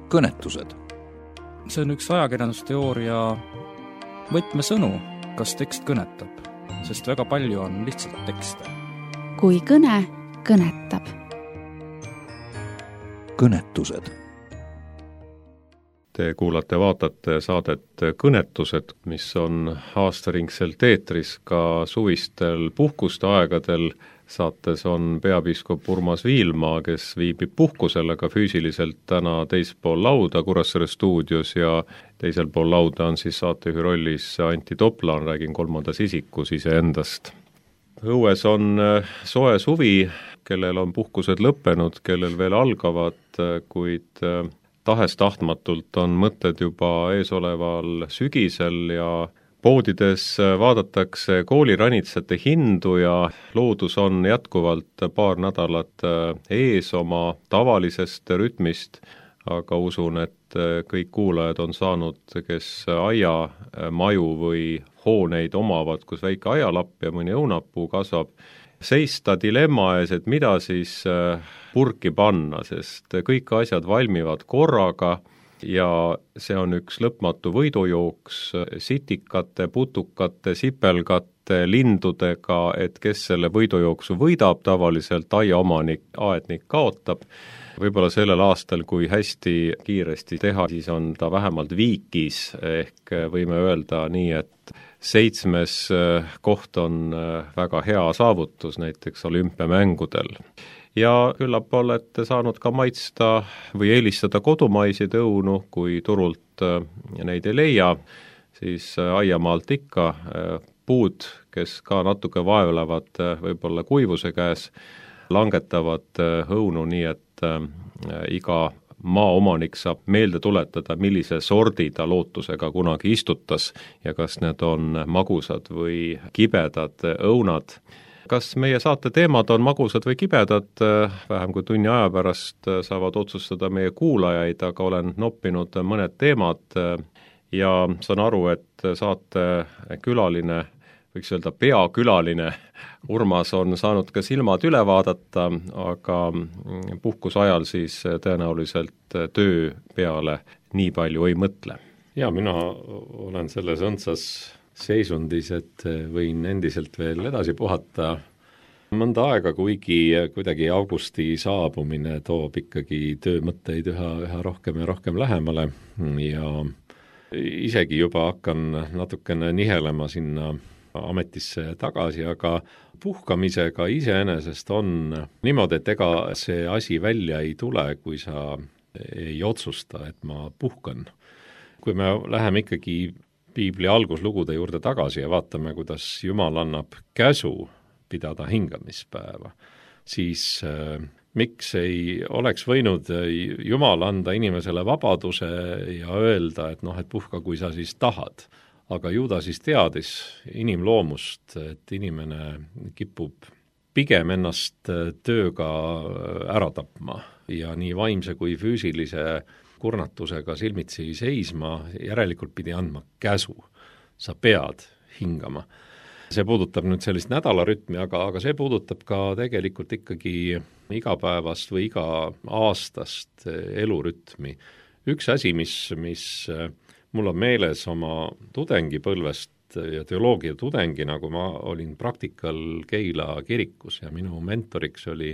kõnetused. See on üks ajakirjandusteooria võtmesõnu, kas tekst kõnetab, sest väga palju on lihtsalt tekste. Kui kõne kõnetab. Kõnetused. Te kuulate-vaatate saadet Kõnetused, mis on aastaringselt eetris ka suvistel puhkuste aegadel. Saates on peapiiskop Urmas Viilma, kes viibib puhkusel, aga füüsiliselt täna teispool lauda Kuressaare stuudios ja teisel pool lauda on siis saatejuhi rollis Anti Toplan, räägin kolmandas isikus iseendast. Õues on soe suvi, kellel on puhkused lõppenud, kellel veel algavad, kuid tahes-tahtmatult on mõtted juba eesoleval sügisel ja poodides vaadatakse kooliranitsate hindu ja loodus on jätkuvalt paar nädalat ees oma tavalisest rütmist, aga usun, et kõik kuulajad on saanud, kes aiamaju või hooneid omavad, kus väike aialapp ja mõni õunapuu kasvab, seista dilemma ees, et mida siis purki panna, sest kõik asjad valmivad korraga ja see on üks lõpmatu võidujooks sitikate, putukate, sipelgate, lindudega, et kes selle võidujooksu võidab, tavaliselt aiaomanik, aednik kaotab. Võib-olla sellel aastal, kui hästi kiiresti teha, siis on ta vähemalt viikis, ehk võime öelda nii, et 7. koht on väga hea saavutus näiteks olümpiamängudel. Ja küllap olete saanud ka maitsta või eelistada kodumaiseid õunu, kui turult neid ei leia, siis aiamaalt ikka puud, kes ka natuke vaevlevad võib-olla kuivuse käes, langetavad õunu nii, et iga maaomanik saab meelde tuletada, millise sordi ta lootusega kunagi istutas ja kas need on magusad või kibedad õunad. Kas meie saate teemad on magusad või kibedad, vähem kui tunni aja pärast saavad otsustada meie kuulajaid, aga olen noppinud mõned teemad ja saan aru, et saate külaline, võiks öelda peakülaline, Urmas on saanud ka silmad üle vaadata, aga puhkuse ajal siis tõenäoliselt töö peale nii palju ei mõtle. Ja mina olen selles õndsas seisundis, et võin endiselt veel edasi puhata mõnda aega, kuigi kuidagi augusti saabumine toob ikkagi töömõtteid üha rohkem ja rohkem lähemale ja isegi juba hakkan natukene nihelema sinna ametisse tagasi, aga puhkamisega iseenesest on niimoodi, et ega see asi välja ei tule, kui sa ei otsusta, et ma puhkan. Kui me läheme ikkagi Piibli alguslugude juurde tagasi ja vaatame, kuidas Jumal annab käsu pidada hingamispäeva, siis miks ei oleks võinud Jumal anda inimesele vabaduse ja öelda, et et puhka, kui sa siis tahad. Aga ju ta siis teadis inimloomust, et inimene kipub pigem ennast tööga ära tapma ja nii vaimse kui füüsilise kurnatusega silmitsi seisma, järelikult pidi andma käsu. Sa pead hingama. See puudutab nüüd sellist nädalarütmi, aga see puudutab ka tegelikult ikkagi igapäevast või iga aastast elurütmi. Üks asi, mis mul on meeles oma tudengipõlvest ja teoloogia tudengina, kui ma olin praktikal Keila kirikus ja minu mentoriks oli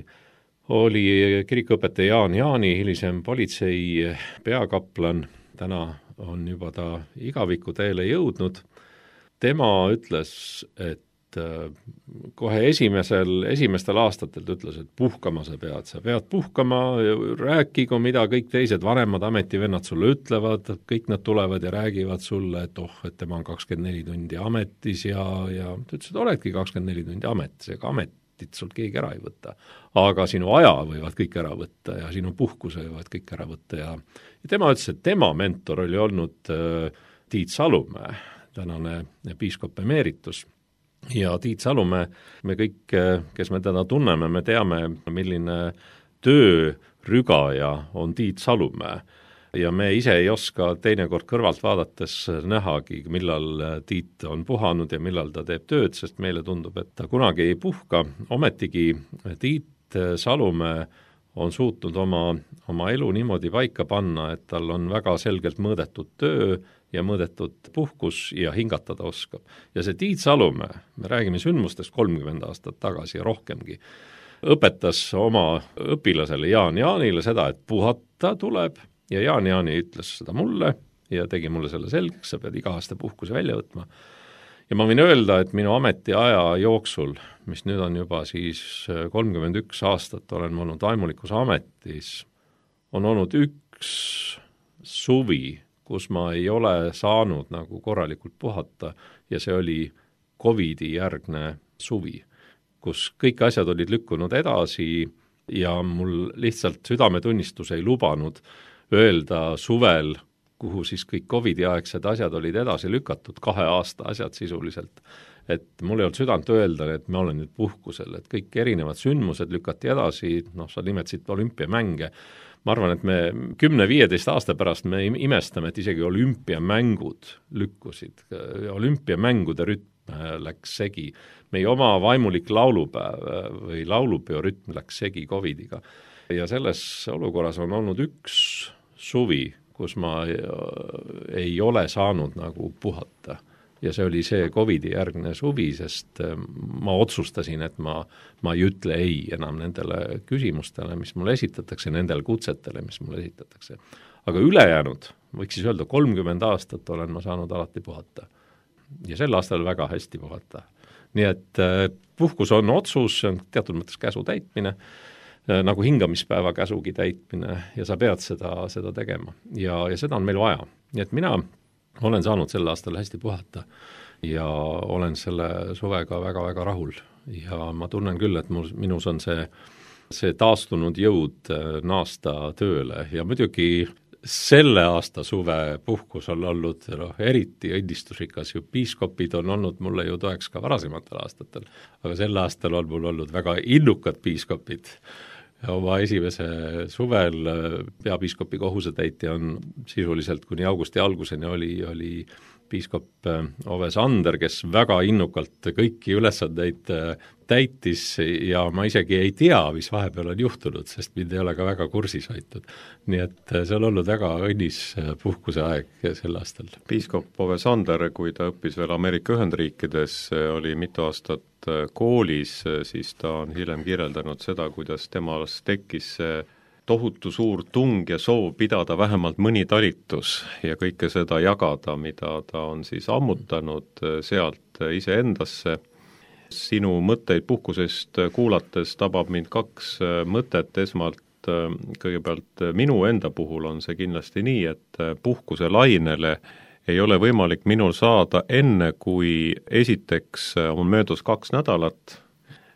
kirikuõpetaja Jaan Jaani, hilisem politsei peakaplan, täna on juba ta igaviku teele jõudnud. Tema ütles, et kohe esimestel aastatel ütles, et puhkama sa pead puhkama, rääkigu, mida kõik teised vanemad ametivennad sulle ütlevad, kõik nad tulevad ja räägivad sulle, et tema on 24 tundi ametis ja ta ütles, et oledki 24 tundi ametis, ega ametit sul keegi ära ei võta. Aga sinu aja võivad kõik ära võtta ja sinu puhkuse võivad kõik ära võtta ja tema ütles, et tema mentor oli olnud Tiit Salumäe, tänane piiskop emeritus. Ja Tiit Salumäe, me kõik, kes me teda tunneme, me teame, milline töörügaja on Tiit Salumäe. Ja me ise ei oska teinekord kõrvalt vaadates nähagi, millal Tiit on puhanud ja millal ta teeb tööd, sest meile tundub, et ta kunagi ei puhka. Ometigi Tiit Salumäe on suutnud oma elu niimoodi paika panna, et tal on väga selgelt mõõdetud töö ja mõõdetud puhkus ja hingatada oskab. Ja see Tiit Salumäe, me räägime sündmustest 30 aastat tagasi ja rohkemgi, õpetas oma õpilasele Jaan Jaanile seda, et puhata tuleb ja Jaan Jaani ütles seda mulle ja tegi mulle selle selgeks, sa pead iga aasta puhkuse välja võtma. Ja ma võin öelda, et minu ametiaja jooksul, mis nüüd on juba siis 31 aastat, olen olnud vaimulikus ametis, on olnud üks suvi, kus ma ei ole saanud nagu korralikult puhata ja see oli COVID-i järgne suvi, kus kõik asjad olid lükkunud edasi ja mul lihtsalt südametunnistus ei lubanud öelda suvel, kuhu siis kõik COVID-i aegsed asjad olid edasi lükatud, 2 aasta asjad sisuliselt. Et mul ei olnud südant öelda, et ma olen nüüd puhkusel, et kõik erinevad sündmused lükati edasi, sa nimetasid olümpiamänge. Ma arvan, et me 10-15 aasta pärast me imestame, et isegi olümpiamängud lükkusid, olümpiamängude rütm läks segi. Meie oma vaimulik laulupäev või laulupeo rütm läks segi COVID-iga. Ja selles olukorras on olnud üks suvi, kus ma ei ole saanud nagu puhata. Ja see oli see COVID-i järgne suvi, sest ma otsustasin, et ma ei ütle ei enam nendele küsimustele, mis mulle esitatakse, nendele kutsetele, mis mulle esitatakse. Aga ülejäänud, võiks siis öelda, 30 aastat olen ma saanud alati puhata. Ja sel aastal väga hästi puhata. Nii et puhkus on otsus, see on teatud mõttes käsu täitmine, nagu hingamispäeva käsugi täitmine ja sa pead seda tegema ja seda on meil vaja. Nii et mina olen saanud sel aastal hästi puhata ja olen selle suvega väga-väga rahul ja ma tunnen küll, et minus on see taastunud jõud naasta tööle ja muidugi selle aasta suve puhkus on olnud eriti õnnistusrikas ju piiskopid on olnud mulle ju toeks ka varasematel aastatel, aga sel aastal on mul olnud väga innukad piiskopid. Oma esimese suvel peapiiskopi kohusetäitja on sisuliselt kuni augusti alguseni oli piiskop Ove Sander, kes väga innukalt kõiki ülesandeid täitis ja ma isegi ei tea, mis vahepeal on juhtunud, sest mind ei ole ka väga kursis hoitud. Nii et see on olnud väga õnnis puhkuse aeg sel aastal. Piiskop Ove Sander, kui ta õppis veel Ameerika Ühendriikides, oli mitu aastat koolis, siis ta on hiljem kirjeldanud seda, kuidas temas tekkis tohutu suur tung ja soov pidada vähemalt mõni talitus ja kõike seda jagada, mida ta on siis ammutanud sealt iseendasse. Sinu mõtteid puhkusest kuulates tabab mind 2 mõtet. Esmalt kõigepealt minu enda puhul on see kindlasti nii, et puhkuse lainele ei ole võimalik minul saada enne, kui esiteks on möödus 2 nädalat,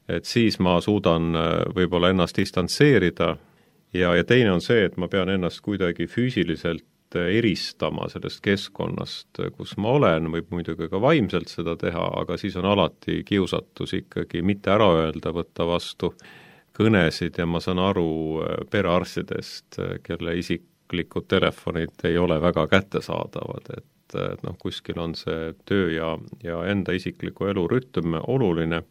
et siis ma suudan võib-olla ennast distantseerida ja teine on see, et ma pean ennast kuidagi füüsiliselt eristama sellest keskkonnast, kus ma olen, võib muidugi ka vaimselt seda teha, aga siis on alati kiusatus ikkagi mitte ära öelda, võtta vastu kõnesid ja ma saan aru perearstidest, kelle isiklikud telefonid ei ole väga kättesaadavad, et kuskil on see töö ja enda isikliku elu rütm oluline.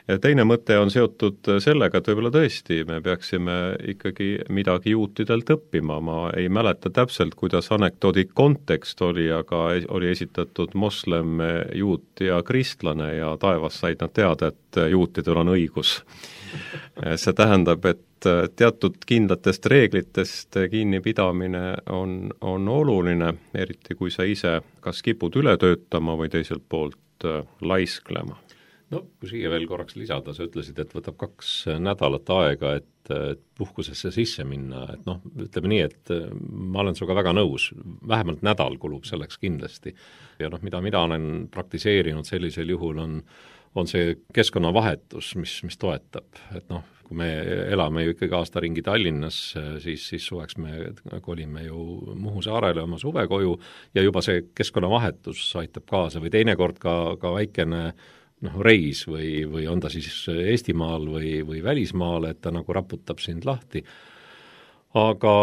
Ja teine mõte on seotud sellega, et võib-olla tõesti me peaksime ikkagi midagi juutidelt õppima. Ma ei mäleta täpselt, kuidas anekdoodi kontekst oli, aga oli esitatud moslem, juut ja kristlane ja taevas said nad teada, et juutidel on õigus. See tähendab, et teatud kindlatest reeglitest kinnipidamine on oluline, eriti kui sa ise kas kipud üle töötama või teiselt poolt laisklema. No, kui siia veel korraks lisada, sa ütlesid, et võtab 2 nädalat aega, et puhkusesse sisse minna, et ütleme nii, et ma olen sinuga väga nõus, vähemalt nädal kulub selleks kindlasti. Ja mida olen praktiseerinud sellisel juhul on see keskkonnavahetus, mis toetab, et kui me elame ju ikkagi aasta ringi Tallinnas, siis suveks me kolime ju Muhu saarele oma suvekoju ja juba see keskkonnavahetus aitab kaasa või teinekord ka väikene reis või on ta siis Eestimaal või välismaal, et ta nagu raputab sind lahti. Aga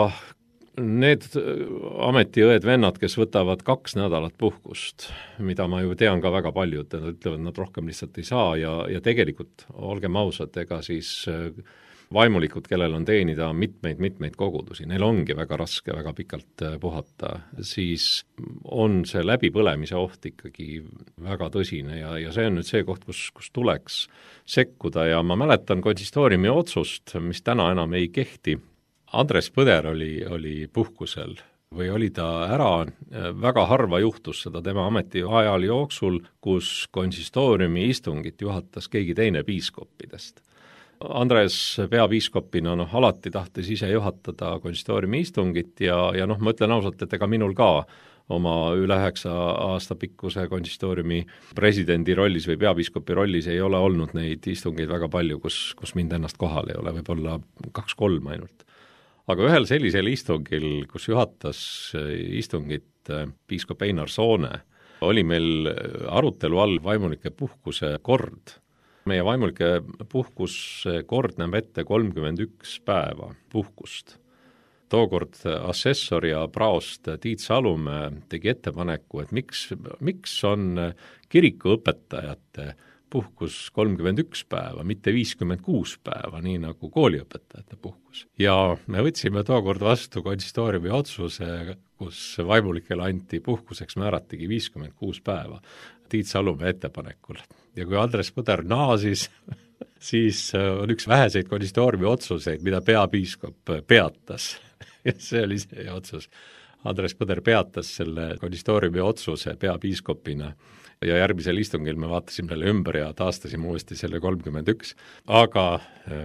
need ametiõed-vennad, kes võtavad 2 nädalat puhkust, mida ma ju tean ka väga paljud, nad ütlevad, nad rohkem lihtsalt ei saa ja tegelikult, olgem ausad, ega siis vaimulikud, kellel on teenida mitmeid kogudusi, neil ongi väga raske väga pikalt puhata, siis on see läbipõlemise oht ikkagi väga tõsine ja see on nüüd see koht, kus tuleks sekkuda ja ma mäletan konsistooriumi otsust, mis täna enam ei kehti. Andres Põder oli puhkusel või oli ta ära, väga harva juhtus seda tema ametiajal jooksul, kus konsistooriumi istungit juhatas keegi teine piiskoppidest. Andres peapiiskopina alati tahtis ise juhatada konsistooriumi istungit ja ma ütlen ausalt, et ega minul ka oma üle 9 aasta pikkuse konsistooriumi presidendi rollis või peapiiskopi rollis ei ole olnud neid istungeid väga palju, kus mind ennast kohal ei ole, võib-olla 2-3 ainult. Aga ühel sellisel istungil, kus juhatas istungit piiskop Einar Soone, oli meil arutelu all vaimulike puhkuse kord. Meie vaimulike puhkuse kord näeb ette 31 päeva puhkust. Tookord assessor ja praost Tiit Salumäe tegi ettepaneku, et miks on kirikuõpetajate puhkus 31 päeva, mitte 56 päeva, nii nagu kooliõpetajate puhkus. Ja me võtsime tookord vastu konsistooriumi otsuse, kus vaimulikele anti puhkuseks määratigi 56 päeva Tiit Salumäe ettepanekul. Ja kui Andres Põder naasis, siis on üks väheseid konsistooriumi otsuseid, mida peapiiskop peatas. Ja see oli see otsus. Andres Põder peatas selle konsistooriumi otsuse peapiiskopina ja järgmisel istungil me vaatasime selle ümber ja taastasime uuesti selle 31. Aga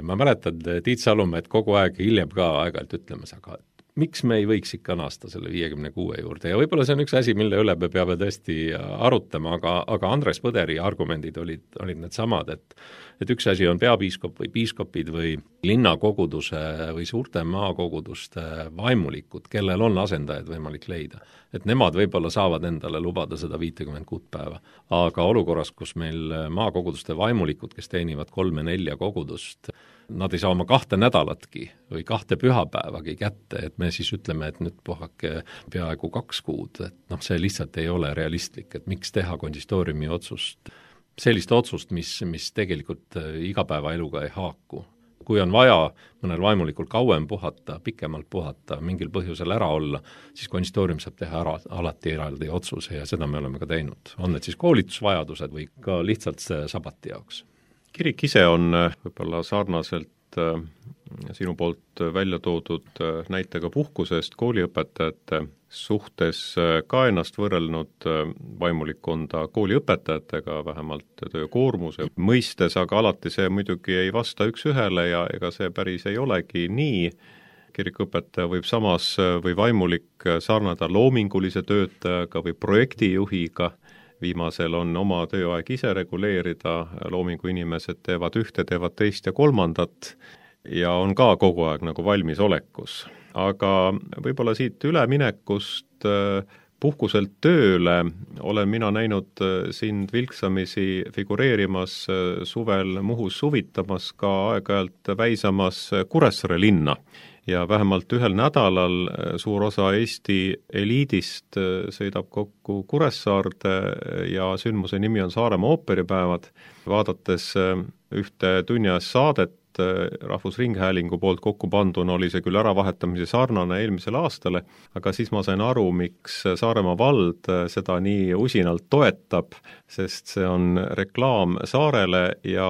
ma mäletan Tiit Salumäed kogu aeg hiljem ka aeg-ajalt ütlemas, aga miks me ei võiks ikka naasta selle 56 juurde ja võib-olla see on üks asi, mille üle me peame tõesti arutama, aga Andres Põderi argumendid olid need samad, et üks asi on peapiiskop või piiskopid või linnakoguduse või suurte maakoguduste vaimulikud, kellel on asendajaid võimalik leida. Et nemad võib-olla saavad endale lubada seda 56 päeva, aga olukorras, kus meil maakoguduste vaimulikud, kes teenivad 3-4 kogudust, nad ei saa oma 2 nädalatki või 2 pühapäevagi kätte, et me siis ütleme, et nüüd puhake peaaegu 2 kuud, et see lihtsalt ei ole realistlik, et miks teha konsistooriumi otsust, sellist otsust, mis tegelikult igapäevaeluga ei haaku. Kui on vaja mõnel vaimulikul kauem puhata, pikemalt puhata, mingil põhjusel ära olla, siis konsistoorium saab teha alati eraldi otsuse ja seda me oleme ka teinud. On need siis koolitusvajadused või ka lihtsalt sabati jaoks. Kirik ise on võib-olla sarnaselt sinu poolt välja toodud näitega puhkusest kooliõpetajate suhtes ka ennast võrrelnud vaimulikkonda kooliõpetajatega, vähemalt töökoormuse mõistes, aga alati see muidugi ei vasta üks-ühele ja ega see päris ei olegi nii. Kirikuõpetaja võib samas või vaimulik sarnada loomingulise töötajaga või projektijuhiga. Viimasel on oma tööaeg ise reguleerida, loomingu inimesed teevad ühte, teevad teist ja kolmandat ja on ka kogu aeg nagu valmisolekus. Aga võib-olla siit üleminekust puhkuselt tööle olen mina näinud sind vilksamisi figureerimas suvel Muhus suvitamas, ka aeg-ajalt väisamas Kuressaare linna. Ja vähemalt ühel nädalal suur osa Eesti eliidist sõidab kokku Kuressaarde ja sündmuse nimi on Saaremaa ooperipäevad. Vaadates ühte tunniajast saadet Rahvusringhäälingu poolt kokku panduna oli see küll äravahetamise sarnane eelmisele aastale, aga siis ma sain aru, miks Saaremaa vald seda nii usinalt toetab, sest see on reklaam saarele ja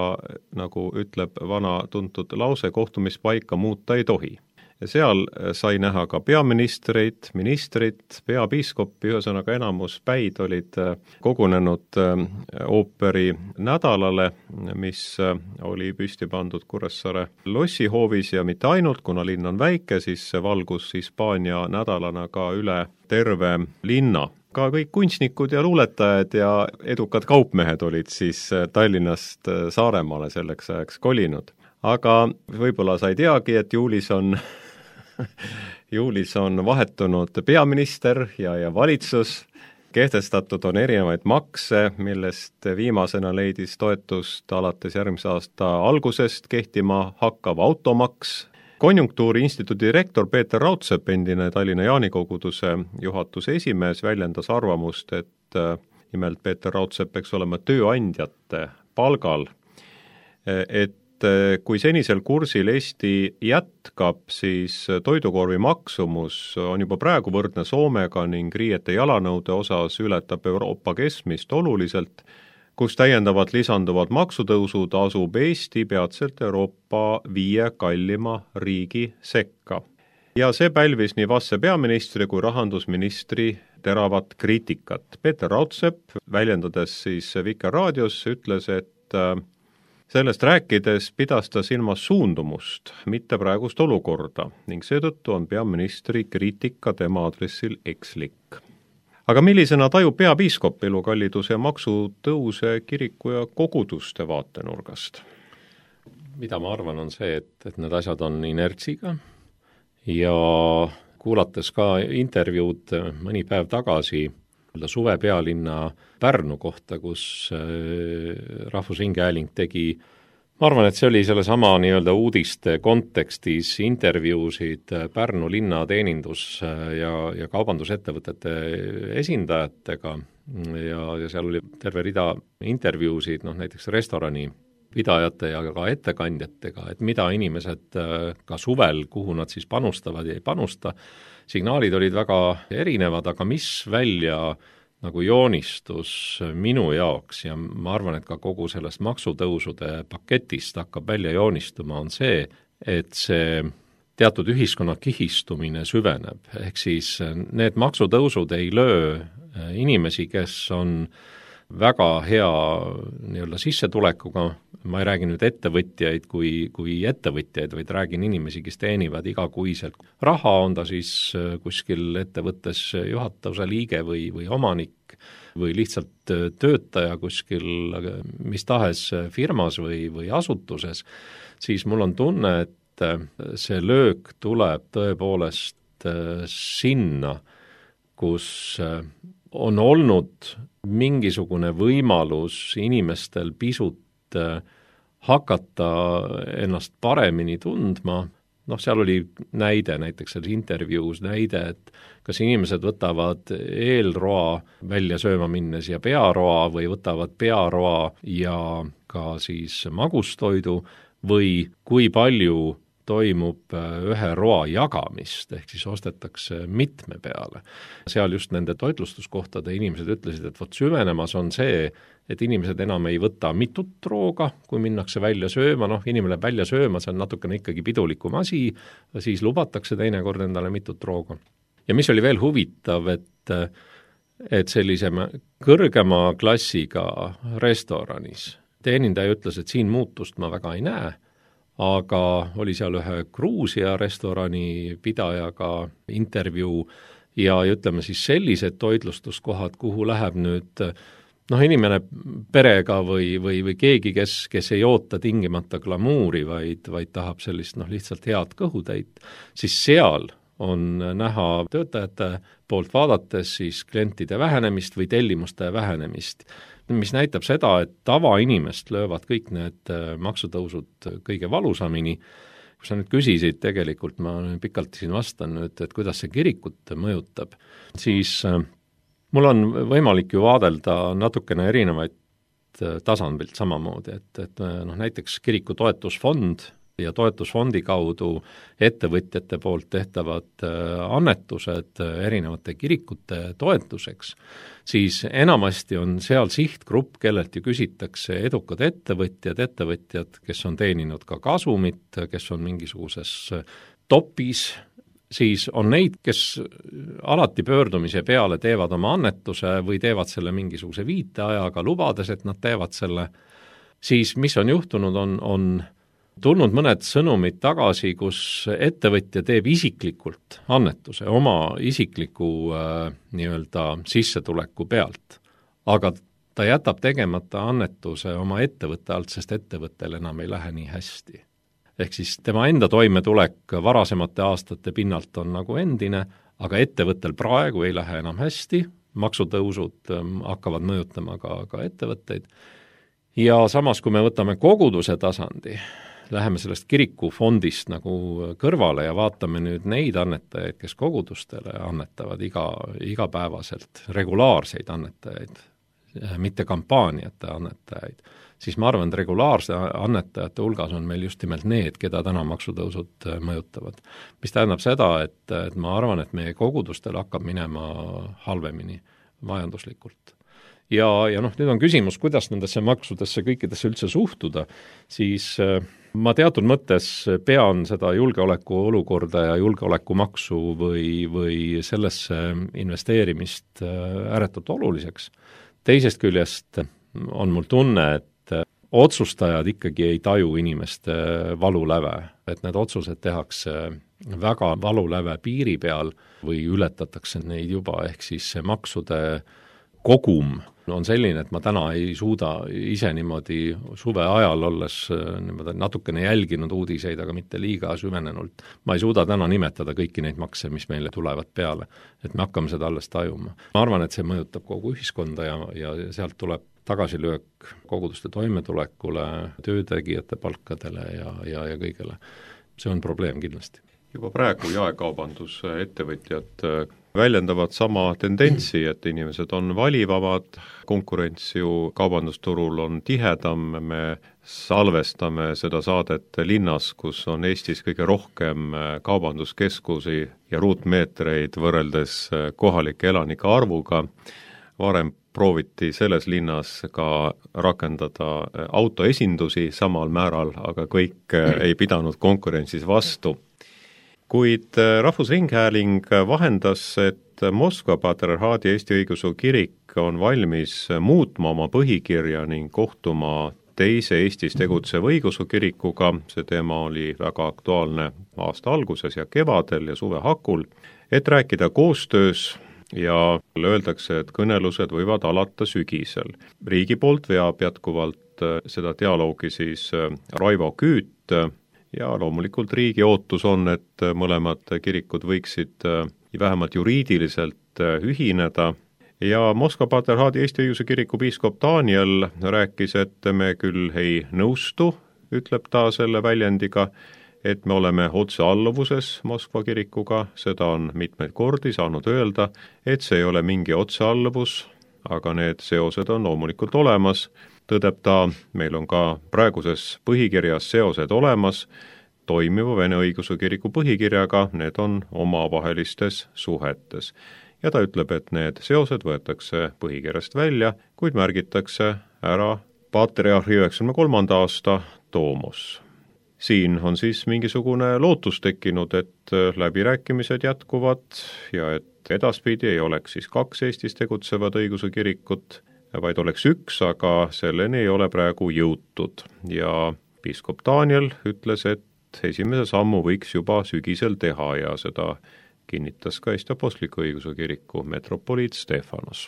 nagu ütleb vana tuntud lause, kohtumispaika muuta ei tohi. Ja seal sai näha ka peaministreid, ministrit, peapiiskopi, ühesõnaga enamus päid olid kogunenud ooperi nädalale, mis oli püsti pandud Kuressaare lossihoovis ja mitte ainult, kuna linn on väike, siis see valgus Hispaania nädalana ka üle terve linna. Ka kõik kunstnikud ja luuletajad ja edukad kaupmehed olid siis Tallinnast Saaremaale selleks ajaks kolinud. Aga võib-olla sa ei teagi, et juulis on vahetunud peaminister ja valitsus, kehtestatud on erinevaid makse, millest viimasena leidis toetust alates järgmise aasta algusest kehtima hakkav automaks. Konjunktuuri instituudi direktor Peeter Raudsepp, endine Tallinna Jaanikoguduse juhatuse esimees, väljendas arvamust, et nimelt Peeter Raudsepp peaks olema tööandjate palgal, et et kui senisel kursil Eesti jätkab, siis toidukorvi maksumus on juba praegu võrdne Soomega ning riiete jalanõude osas ületab Euroopa keskmist oluliselt, kus täiendavad lisanduvad maksutõusud asub Eesti peatselt Euroopa 5 kallima riigi sekka. Ja see pälvis nii vastse peaministri kui rahandusministri teravat kriitikat. Peeter Raudsepp, väljendades siis Vikerraadios, ütles, et sellest rääkides pidas ta silmas suundumust, mitte praegust olukorda ning seetõttu on peaministri kriitika tema aadressil ekslik. Aga millisena tajub peapiiskop elukalliduse ja maksutõuse kiriku ja koguduste vaatenurgast? Mida ma arvan, on see, et need asjad on inertsiga ja kuulates ka intervjuud mõni päev tagasi suve pealinna Pärnu kohta, kus Rahvusringhääling tegi, ma arvan, et see oli sellesama nii-öelda uudiste kontekstis intervjuusid Pärnu linna teenindus- ja kaubandusettevõtete esindajatega ja seal oli terve rida intervjuusid, näiteks restorani pidajate ja ka ettekandjatega, et mida inimesed ka suvel, kuhu nad siis panustavad ja ei panusta. Signaalid olid väga erinevad, aga mis välja nagu joonistus minu jaoks ja ma arvan, et ka kogu sellest maksutõusude paketist hakkab välja joonistuma, on see, et see teatud ühiskonna kihistumine süveneb. Ehk siis need maksutõusud ei löö inimesi, kes on väga hea nii-öelda sissetulekuga, ma ei räägi nüüd ettevõtjaid kui ettevõtjaid, vaid räägin inimesi, kes teenivad igakuiselt raha, on ta siis kuskil ettevõttes juhatuse liige või omanik või lihtsalt töötaja kuskil mis tahes firmas või asutuses, siis mul on tunne, et see löök tuleb tõepoolest sinna, kus on olnud mingisugune võimalus inimestel pisut hakata ennast paremini tundma. Seal oli näide, näiteks selles intervjuus näide, et kas inimesed võtavad eelroa välja sööma minnes ja pearoa või võtavad pearoa ja ka siis magustoidu või kui palju toimub ühe roa jagamist, ehk siis ostetakse mitme peale. Seal just nende toitlustuskohtade inimesed ütlesid, et süvenemas on see, et inimesed enam ei võta mitut rooga, kui minnakse välja sööma, inimene läheb välja sööma, see on natukene ikkagi pidulikum asi, siis lubatakse teinekord endale mitut rooga. Ja mis oli veel huvitav, et sellise kõrgema klassiga restoranis teenindaja ütles, et siin muutust ma väga ei näe, aga oli seal ühe Gruusia restorani pidajaga intervjuu ja ütleme siis sellised toitlustuskohad, kuhu läheb nüüd inimene perega või keegi, kes ei oota tingimata glamuuri, vaid tahab sellist lihtsalt head kõhutäit, siis seal on näha töötajate poolt vaadates siis klientide vähenemist või tellimuste vähenemist, mis näitab seda, et tavainimest löövad kõik need maksutõusud kõige valusamini. Kui sa nüüd küsisid tegelikult, ma pikalt siin vastan nüüd, et kuidas see kirikut mõjutab, siis mul on võimalik ju vaadelda natukene erinevaid tasandilt samamoodi, et näiteks kiriku toetusfond ja toetusfondi kaudu ettevõtjate poolt tehtavad annetused erinevate kirikute toetuseks, siis enamasti on seal sihtgrupp, kellelt ju küsitakse edukad ettevõtjad, kes on teeninud ka kasumit, kes on mingisuguses topis, siis on neid, kes alati pöördumise peale teevad oma annetuse või teevad selle mingisuguse viiteajaga, lubades, et nad teevad selle, siis mis on juhtunud, on tulnud mõned sõnumid tagasi, kus ettevõtja teeb isiklikult annetuse oma isikliku nii-öelda sissetuleku pealt, aga ta jätab tegemata annetuse oma ettevõtte alt, sest ettevõttel enam ei lähe nii hästi. Ehk siis tema enda toimetulek varasemate aastate pinnalt on nagu endine, aga ettevõttel praegu ei lähe enam hästi, maksutõusud hakkavad mõjutama ka ettevõtteid. Ja samas, kui me võtame koguduse tasandi, läheme sellest kirikufondist nagu kõrvale ja vaatame nüüd neid annetajaid, kes kogudustele annetavad igapäevaselt, regulaarseid annetajaid, mitte kampaaniate annetajaid, siis ma arvan, et regulaarse annetajate hulgas on meil just nimelt need, keda täna maksutõusud mõjutavad. Mis tähendab seda, et ma arvan, et meie kogudustel hakkab minema halvemini majanduslikult. Ja nüüd on küsimus, kuidas nendesse maksudesse kõikidesse üldse suhtuda, siis ma teatud mõttes pean seda julgeoleku olukorda ja julgeolekumaksu või sellesse investeerimist ääretult oluliseks. Teisest küljest on mul tunne, et otsustajad ikkagi ei taju inimeste valuläve, et need otsused tehakse väga valuläve piiri peal või ületatakse neid juba, ehk siis see maksude kogum on selline, et ma täna ei suuda ise niimoodi suve ajal olles natukene jälginud uudiseid, aga mitte liiga süvenenult. Ma ei suuda täna nimetada kõiki neid makse, mis meile tulevad peale, et me hakkame seda alles tajuma. Ma arvan, et see mõjutab kogu ühiskonda ja sealt tuleb tagasilöök koguduste toimetulekule, töötegijate palkadele ja kõigele. See on probleem kindlasti. Juba praegu jaekaubandusettevõtjad väljendavad sama tendentsi, et inimesed on valivamad, konkurents ju kaubandusturul on tihedam, me salvestame seda saadet linnas, kus on Eestis kõige rohkem kaubanduskeskusi ja ruutmeetreid võrreldes kohalike elanike arvuga. Varem prooviti selles linnas ka rakendada autoesindusi samal määral, aga kõik ei pidanud konkurentsis vastu. Kuid Rahvusringhääling vahendas, et Moskva Patriarhaadi Eesti Õigeusu Kirik on valmis muutma oma põhikirja ning kohtuma teise Eestis tegutseva õigeusu kirikuga, see teema oli väga aktuaalne aasta alguses ja kevadel ja suve hakul, et rääkida koostöös ja öeldakse, et kõnelused võivad alata sügisel. Riigi poolt veab jätkuvalt seda dialoogi siis Raivo Küüt, ja loomulikult riigi ootus on, et mõlemad kirikud võiksid vähemalt juriidiliselt ühineda ja Moskva Patriarhaadi Eesti Õigeusu Kiriku piiskop Daniel rääkis, et me küll ei nõustu, ütleb ta selle väljendiga, et me oleme otsealluvuses Moskva kirikuga, seda on mitmeid kordi saanud öelda, et see ei ole mingi otsealluvus, aga need seosed on loomulikult olemas. Tõdeb ta, meil on ka praeguses põhikirjas seosed olemas, toimiva Vene Õigeusu Kiriku põhikirjaga, need on omavahelistes suhetes. Ja ta ütleb, et need seosed võetakse põhikirjast välja, kuid märgitakse ära patriarhi 93. aasta tomos. Siin on siis mingisugune lootus tekkinud, et läbirääkimised jätkuvad ja et edaspidi ei oleks siis 2 Eestis tegutsevad õigeusu kirikut, vaid oleks 1, aga selleni ei ole praegu jõutud. Ja piiskop Daniel ütles, et esimese sammu võiks juba sügisel teha ja seda kinnitas ka Eesti Apostliku Õigeusu Kiriku metropoliit Stefanos.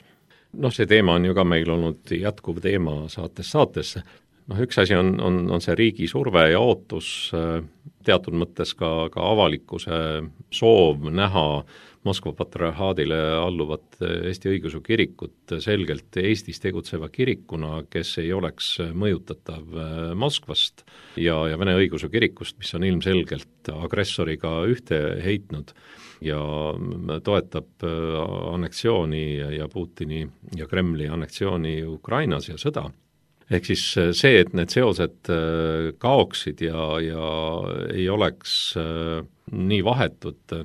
See teema on ju ka meil olnud jätkuv teema saatesse. Üks asi on see riigi surve ja ootus, teatud mõttes ka avalikkuse soov näha Moskva patriarhaadile alluvat Eesti Õigeusu Kirikut selgelt Eestis tegutseva kirikuna, kes ei oleks mõjutatav Moskvast ja Vene Õigeusu Kirikust, mis on ilmselgelt agressoriga ühte heitnud ja toetab anneksiooni ja Putini ja Kremli anneksiooni Ukrainas ja sõda. Ehk siis see, et need seosed kaoksid ja ei oleks nii vahetud,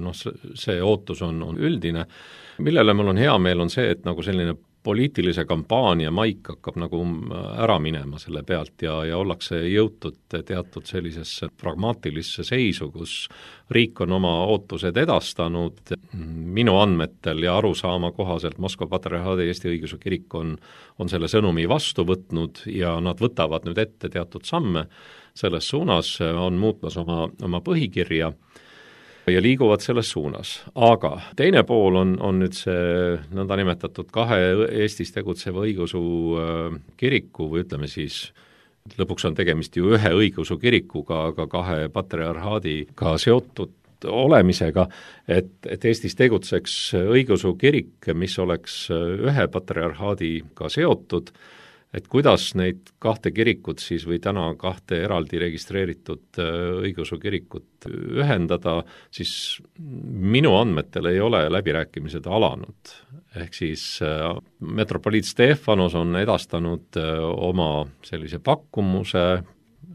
see ootus on üldine. Millele mul on hea meel on see, et nagu selline poliitilise kampaania maik hakkab nagu ära minema selle pealt ja ollakse jõutud teatud sellisesse pragmaatilisse seisu, kus riik on oma ootused edastanud. Minu andmetel ja arusaama kohaselt Moskva Patriarhaadi Eesti Õigeusu Kirik on selle sõnumi vastu võtnud ja nad võtavad nüüd ette teatud samme selles suunas, on muutmas oma põhikirja ja liiguvad selles suunas. Aga teine pool on nüüd see nõndanimetatud 2 Eestis tegutseva õigeusu kiriku või ütleme siis, lõpuks on tegemist ju 1 õigeusu kirikuga, aga 2 patriarhaadiga seotud olemisega, et Eestis tegutseks õigeusu kirik, mis oleks 1 patriarhaadiga seotud et kuidas neid kahte kirikut siis või täna kahte eraldi registreeritud õigeusu kirikut ühendada, siis minu andmetel ei ole läbirääkimised alanud. Ehk siis metropoliit Stefanos on edastanud oma sellise pakkumuse,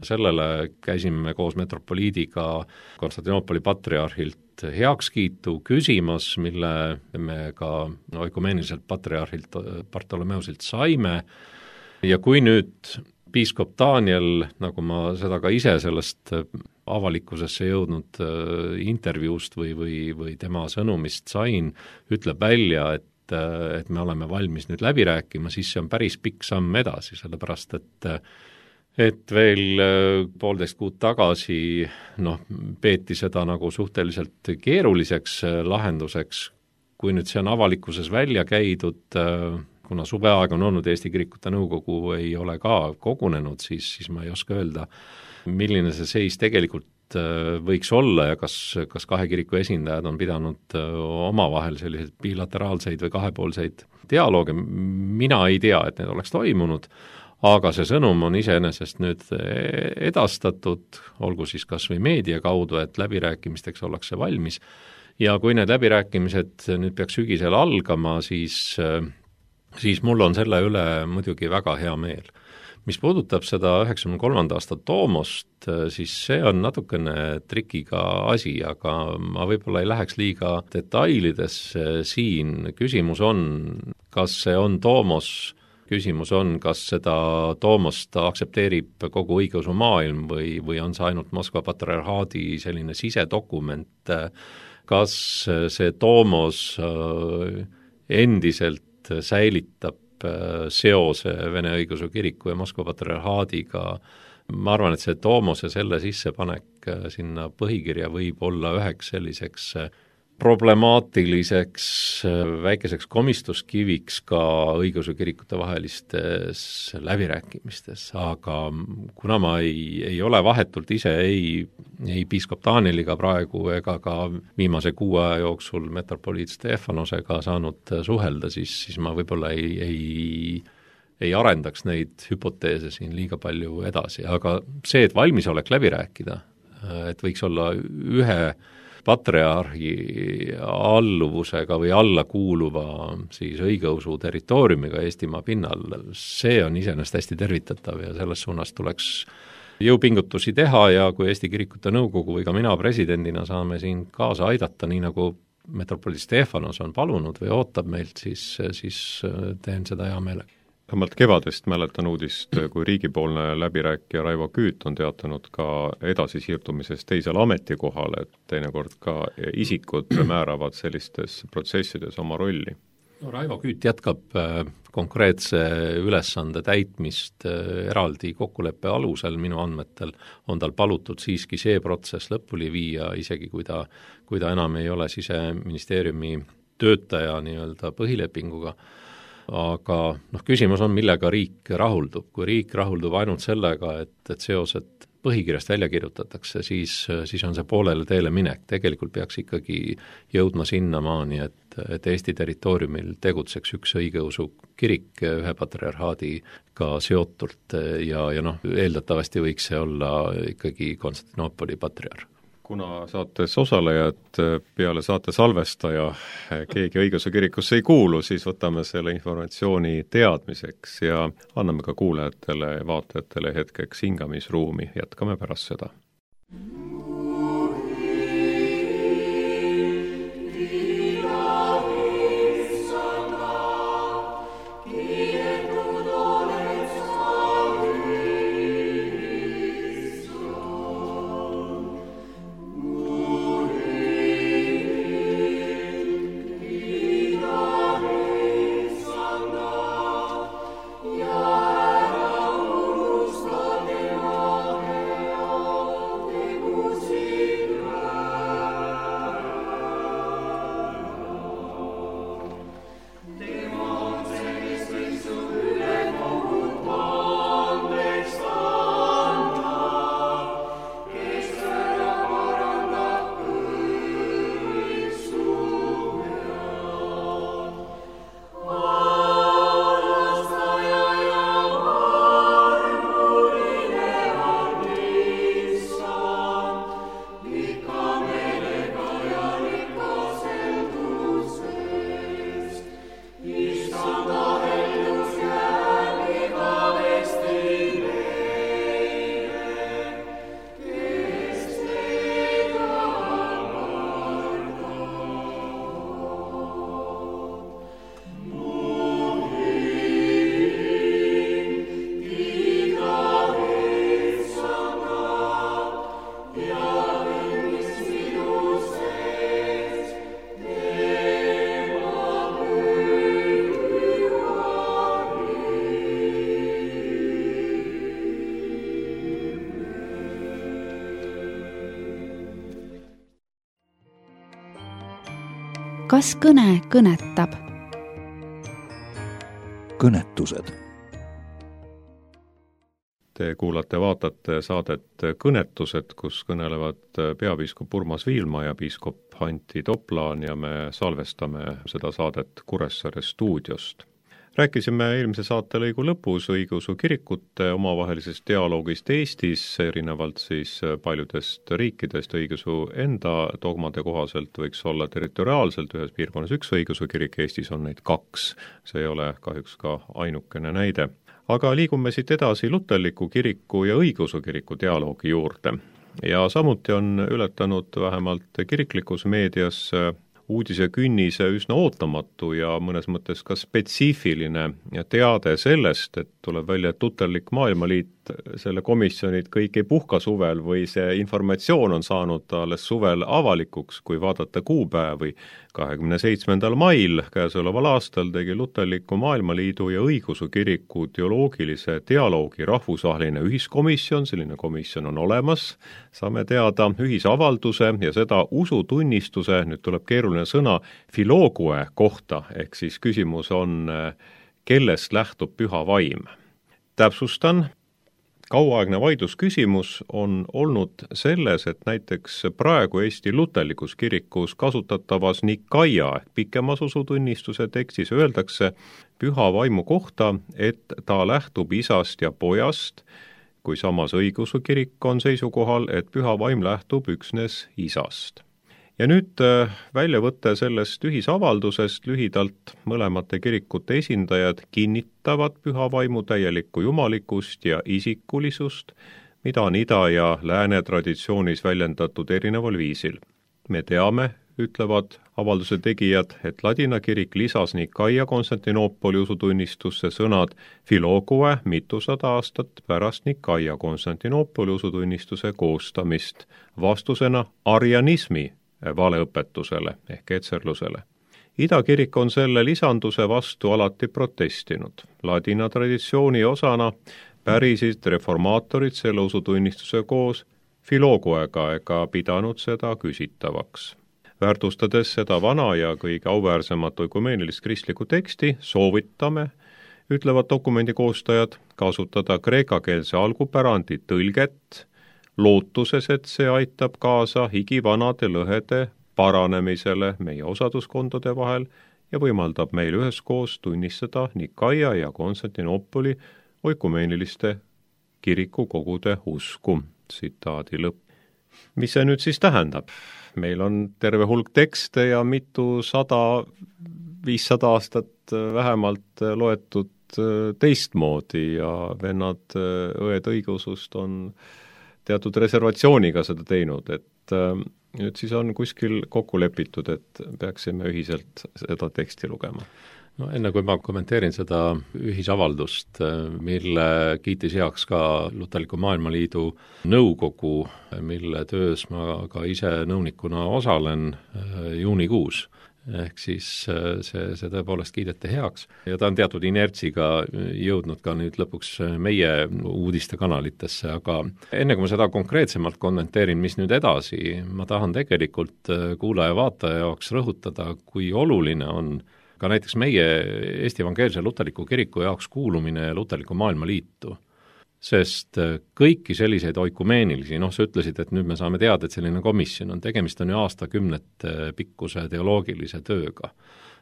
sellele käisime koos metropoliidiga Konstantinoopoli patriarhilt heakskiitu küsimas, mille me ka oikumeeniliselt patriarhilt Bartolomeusilt saime. Ja kui nüüd piiskop Daniel, nagu ma seda ka ise sellest avalikkusesse jõudnud intervjuust või tema sõnumist sain, ütleb välja, et me oleme valmis nüüd läbi rääkima, siis see on päris pikk samm edasi, sellepärast et veel 1,5 kuud tagasi peeti seda nagu suhteliselt keeruliseks lahenduseks, kui nüüd see on avalikkuses välja käidud, kuna suveaeg on olnud, Eesti Kirikute Nõukogu ei ole ka kogunenud, siis ma ei oska öelda, milline see seis tegelikult võiks olla ja kas kahe kiriku esindajad on pidanud omavahel selliseid bilateraalseid või kahepoolseid dialoogi. Mina ei tea, et need oleks toimunud, aga see sõnum on iseenesest nüüd edastatud, olgu siis kas või meedia kaudu, et läbirääkimisteks ollakse valmis. Ja kui need läbirääkimised nüüd peaks sügisel algama, siis mul on selle üle muidugi väga hea meel. Mis puudutab seda 93. aasta Toomost, siis see on natukene trikiga asi, aga ma võib-olla ei läheks liiga detailidesse siin. Küsimus on, kas see on Toomos, küsimus on, kas seda Toomost aktsepteerib kogu õigeusu maailm või on see ainult Moskva patriarhaadi selline sisedokument, kas see Toomos endiselt säilitab seose Vene õigeusu kiriku ja Moskva patriarhaadiga. Ma arvan, et see Toomose selle sissepanek sinna põhikirja võib olla üheks selliseks problemaatiliseks väikeseks komistuskiviks ka õigeusu kirikute vahelistes läbirääkimistes, aga kuna ma ei ole vahetult ise ei piiskop Danieliga praegu ega ka viimase 6 aja jooksul metropoliit Stefanosega saanud suhelda, siis ma võib-olla ei arendaks neid hüpoteese siin liiga palju edasi, aga see, et valmisolek läbi rääkida, et võiks olla ühe patriarhi alluvusega või alla kuuluva siis õigeusu territooriumiga Eestimaa pinnal, see on iseenesest hästi tervitatav ja selles suunas tuleks jõupingutusi teha ja kui Eesti Kirikute Nõukogu või ka mina presidendina saame siin kaasa aidata, nii nagu metropoliit Stefanos on palunud või ootab meilt, siis teen seda hea meelega. Vähemalt kevadest mäletan uudist, kui riigipoolne läbirääkija Raivo Küüt on teatanud ka edasisiirdumisest teisele ametikohale, et teinekord ka isikud määravad sellistes protsessides oma rolli. No, Raivo Küüt jätkab konkreetse ülesande täitmist eraldi kokkuleppe alusel, minu andmetel on tal palutud siiski see protsess lõpuni viia, isegi kui ta enam ei ole Siseministeeriumi töötaja nii-öelda põhilepinguga. Aga küsimus on, millega riik rahuldub. Kui riik rahuldub ainult sellega, et seosed põhikirjast välja kirjutatakse, siis on see poolele teele minek. Tegelikult peaks ikkagi jõudma sinnamaani, et Eesti territooriumil tegutseks üks õigeusu kirik ühe patriarhaadiga seotult ja eeldatavasti võiks see olla ikkagi Konstantinoopoli patriarh. Kuna saates osalejad peale saate salvestaja keegi õigeusu kirikusse ei kuulu, siis võtame selle informatsiooni teadmiseks ja anname ka kuulajatele ja vaatajatele hetkeks hingamisruumi. Jätkame pärast seda. kas kõne kõnetab? Kõnetused. Te kuulate, vaatate saadet Kõnetused, kus kõnelevad peapiiskop Urmas Viilma ja piiskop Antti Toplaan ja me salvestame seda saadet Kuressaare stuudiost. Rääkisime eelmise saatelõigu lõpus õigeusu kirikute omavahelisest dialoogist Eestis, erinevalt siis paljudest riikidest õigeusu enda dogmade kohaselt võiks olla territoriaalselt ühes piirkonnas üks õigeusu kirik, Eestis on neid 2. See ei ole kahjuks ka ainukene näide. Aga liigume siit edasi luterliku kiriku ja õigeusu kiriku dialoogi juurde. Ja samuti on ületanud vähemalt kiriklikus meedias uudise künnise üsna ootamatu ja mõnes mõttes ka spetsiifiline teade sellest, et tuleb välja, et luterlik maailmaliit, selle komisjonid kõik ei puhka suvel või see informatsioon on saanud alles suvel avalikuks, kui vaadata kuupäevi. 27. mail käesoleval aastal tegi luterliku maailmaliidu ja õigeusu kiriku teoloogilise dialoogi rahvusvaheline ühiskomisjon, selline komisjon on olemas, saame teada ühisavalduse ja seda usutunnistuse, nüüd tuleb keeruline sõna, filoogue kohta, ehk siis küsimus on, kellest lähtub püha vaim. Täpsustan, kauaaegne vaidlusküsimus on olnud selles, et näiteks praegu Eesti luterlikus kirikus kasutatavas Nikaia ehk pikemas usutunnistuse tekstis öeldakse püha vaimu kohta, et ta lähtub isast ja pojast, kui samas õigeusu kirik on seisukohal, et püha vaim lähtub üksnes isast. Ja nüüd väljavõte sellest ühisavaldusest lühidalt mõlemate kirikute esindajad kinnitavad püha vaimu täielikku jumalikkust ja isikulisust, mida on ida- ja lääne traditsioonis väljendatud erineval viisil. Me teame, ütlevad avalduse tegijad, et ladina kirik lisas Nikaia Konstantinoopoli usutunnistusse sõnad filoogue mitusada aastat pärast Nikaia Konstantinoopoli usutunnistuse koostamist, vastusena arianismi valeõpetusele ehk etserlusele. Idakirik on selle lisanduse vastu alati protestinud. Ladina traditsiooni osana pärisid reformaatorid selle usutunnistuse koos filooguega ega pidanud seda küsitavaks. Väärtustades seda vana ja kõige auväärsemat oikumeenilist kristlikku teksti, soovitame, ütlevad dokumendi koostajad, kasutada kreekakeelse algupärandi tõlget, lootuses, et see aitab kaasa higivanade lõhede paranemisele meie osaduskondade vahel ja võimaldab meil üheskoos tunnistada Nikaia ja Konstantinoopoli oikumeeniliste kirikukogude usku. Tsitaadi lõpp. Mis see nüüd siis tähendab? Meil on terve hulk tekste ja mitu 100-500 aastat vähemalt loetud teistmoodi ja vennad õed õigeusust on teatud reservatsiooniga seda teinud, et nüüd siis on kuskil kokku lepitud, et peaksime ühiselt seda teksti lugema. No enne kui ma kommenteerin seda ühisavaldust, mille kiitis heaks ka Luterliku Maailmaliidu nõukogu, mille töös ma ka ise nõunikuna osalen juunikuus, ehk siis see tõepoolest kiideti heaks ja ta on teatud inertsiga jõudnud ka nüüd lõpuks meie uudistekanalitesse, aga enne kui ma seda konkreetsemalt kommenteerin, mis nüüd edasi, ma tahan tegelikult kuulaja-vaataja jaoks rõhutada, kui oluline on ka näiteks meie Eesti Evangeelse Luterliku Kiriku jaoks kuulumine Luterliku Maailmaliitu. Sest kõiki selliseid oikumeenilisi, sa ütlesid, et nüüd me saame teada, et selline komisjon on, tegemist on ju aastakümnete pikkuse teoloogilise tööga.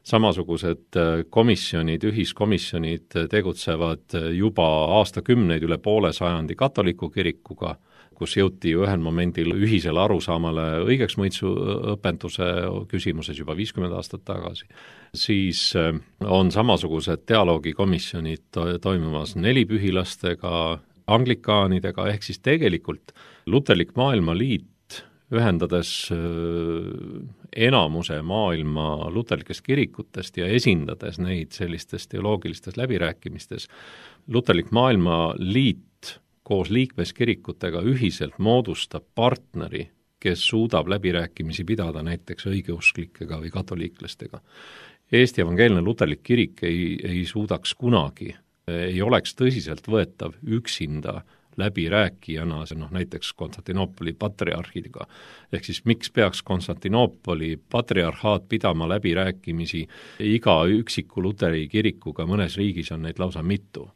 Samasugused komisjonid, ühiskomisjonid tegutsevad juba aastakümneid üle poole sajandi katoliku kirikuga, kus jõuti ju ühel momendil ühisele arusaamale õigeksmõitsu õpetuse küsimuses juba 50 aastat tagasi. Siis on samasugused dialoogikomisjonid toimumas nelipühilastega, anglikaanidega, ehk siis tegelikult Luterlik Maailmaliit, ühendades enamuse maailma luterlikest kirikutest ja esindades neid sellistes teoloogilistes läbirääkimistes, Luterlik Maailmaliit koos liikmeskirikutega ühiselt moodustab partneri, kes suudab läbirääkimisi pidada näiteks õigeuskllikega või katoliiklastega. Eesti Evangeelne Luterlik Kirik ei suudaks kunagi, ei oleks tõsiselt võetav üksinda läbirääkijana näiteks Konstantinoopoli patriarhidega. Ehk siis miks peaks Konstantinoopoli patriarhaat pidama läbirääkimisi iga üksiku luteri kirikuga, mõnes riigis on neid lausa mitu.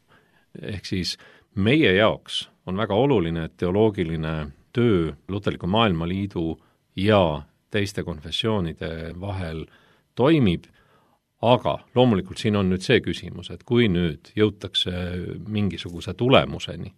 Ehk siis meie jaoks on väga oluline, et teoloogiline töö Luterliku Maailmaliidu ja teiste konfessioonide vahel toimib, aga loomulikult siin on nüüd see küsimus, et kui nüüd jõutakse mingisuguse tulemuseni,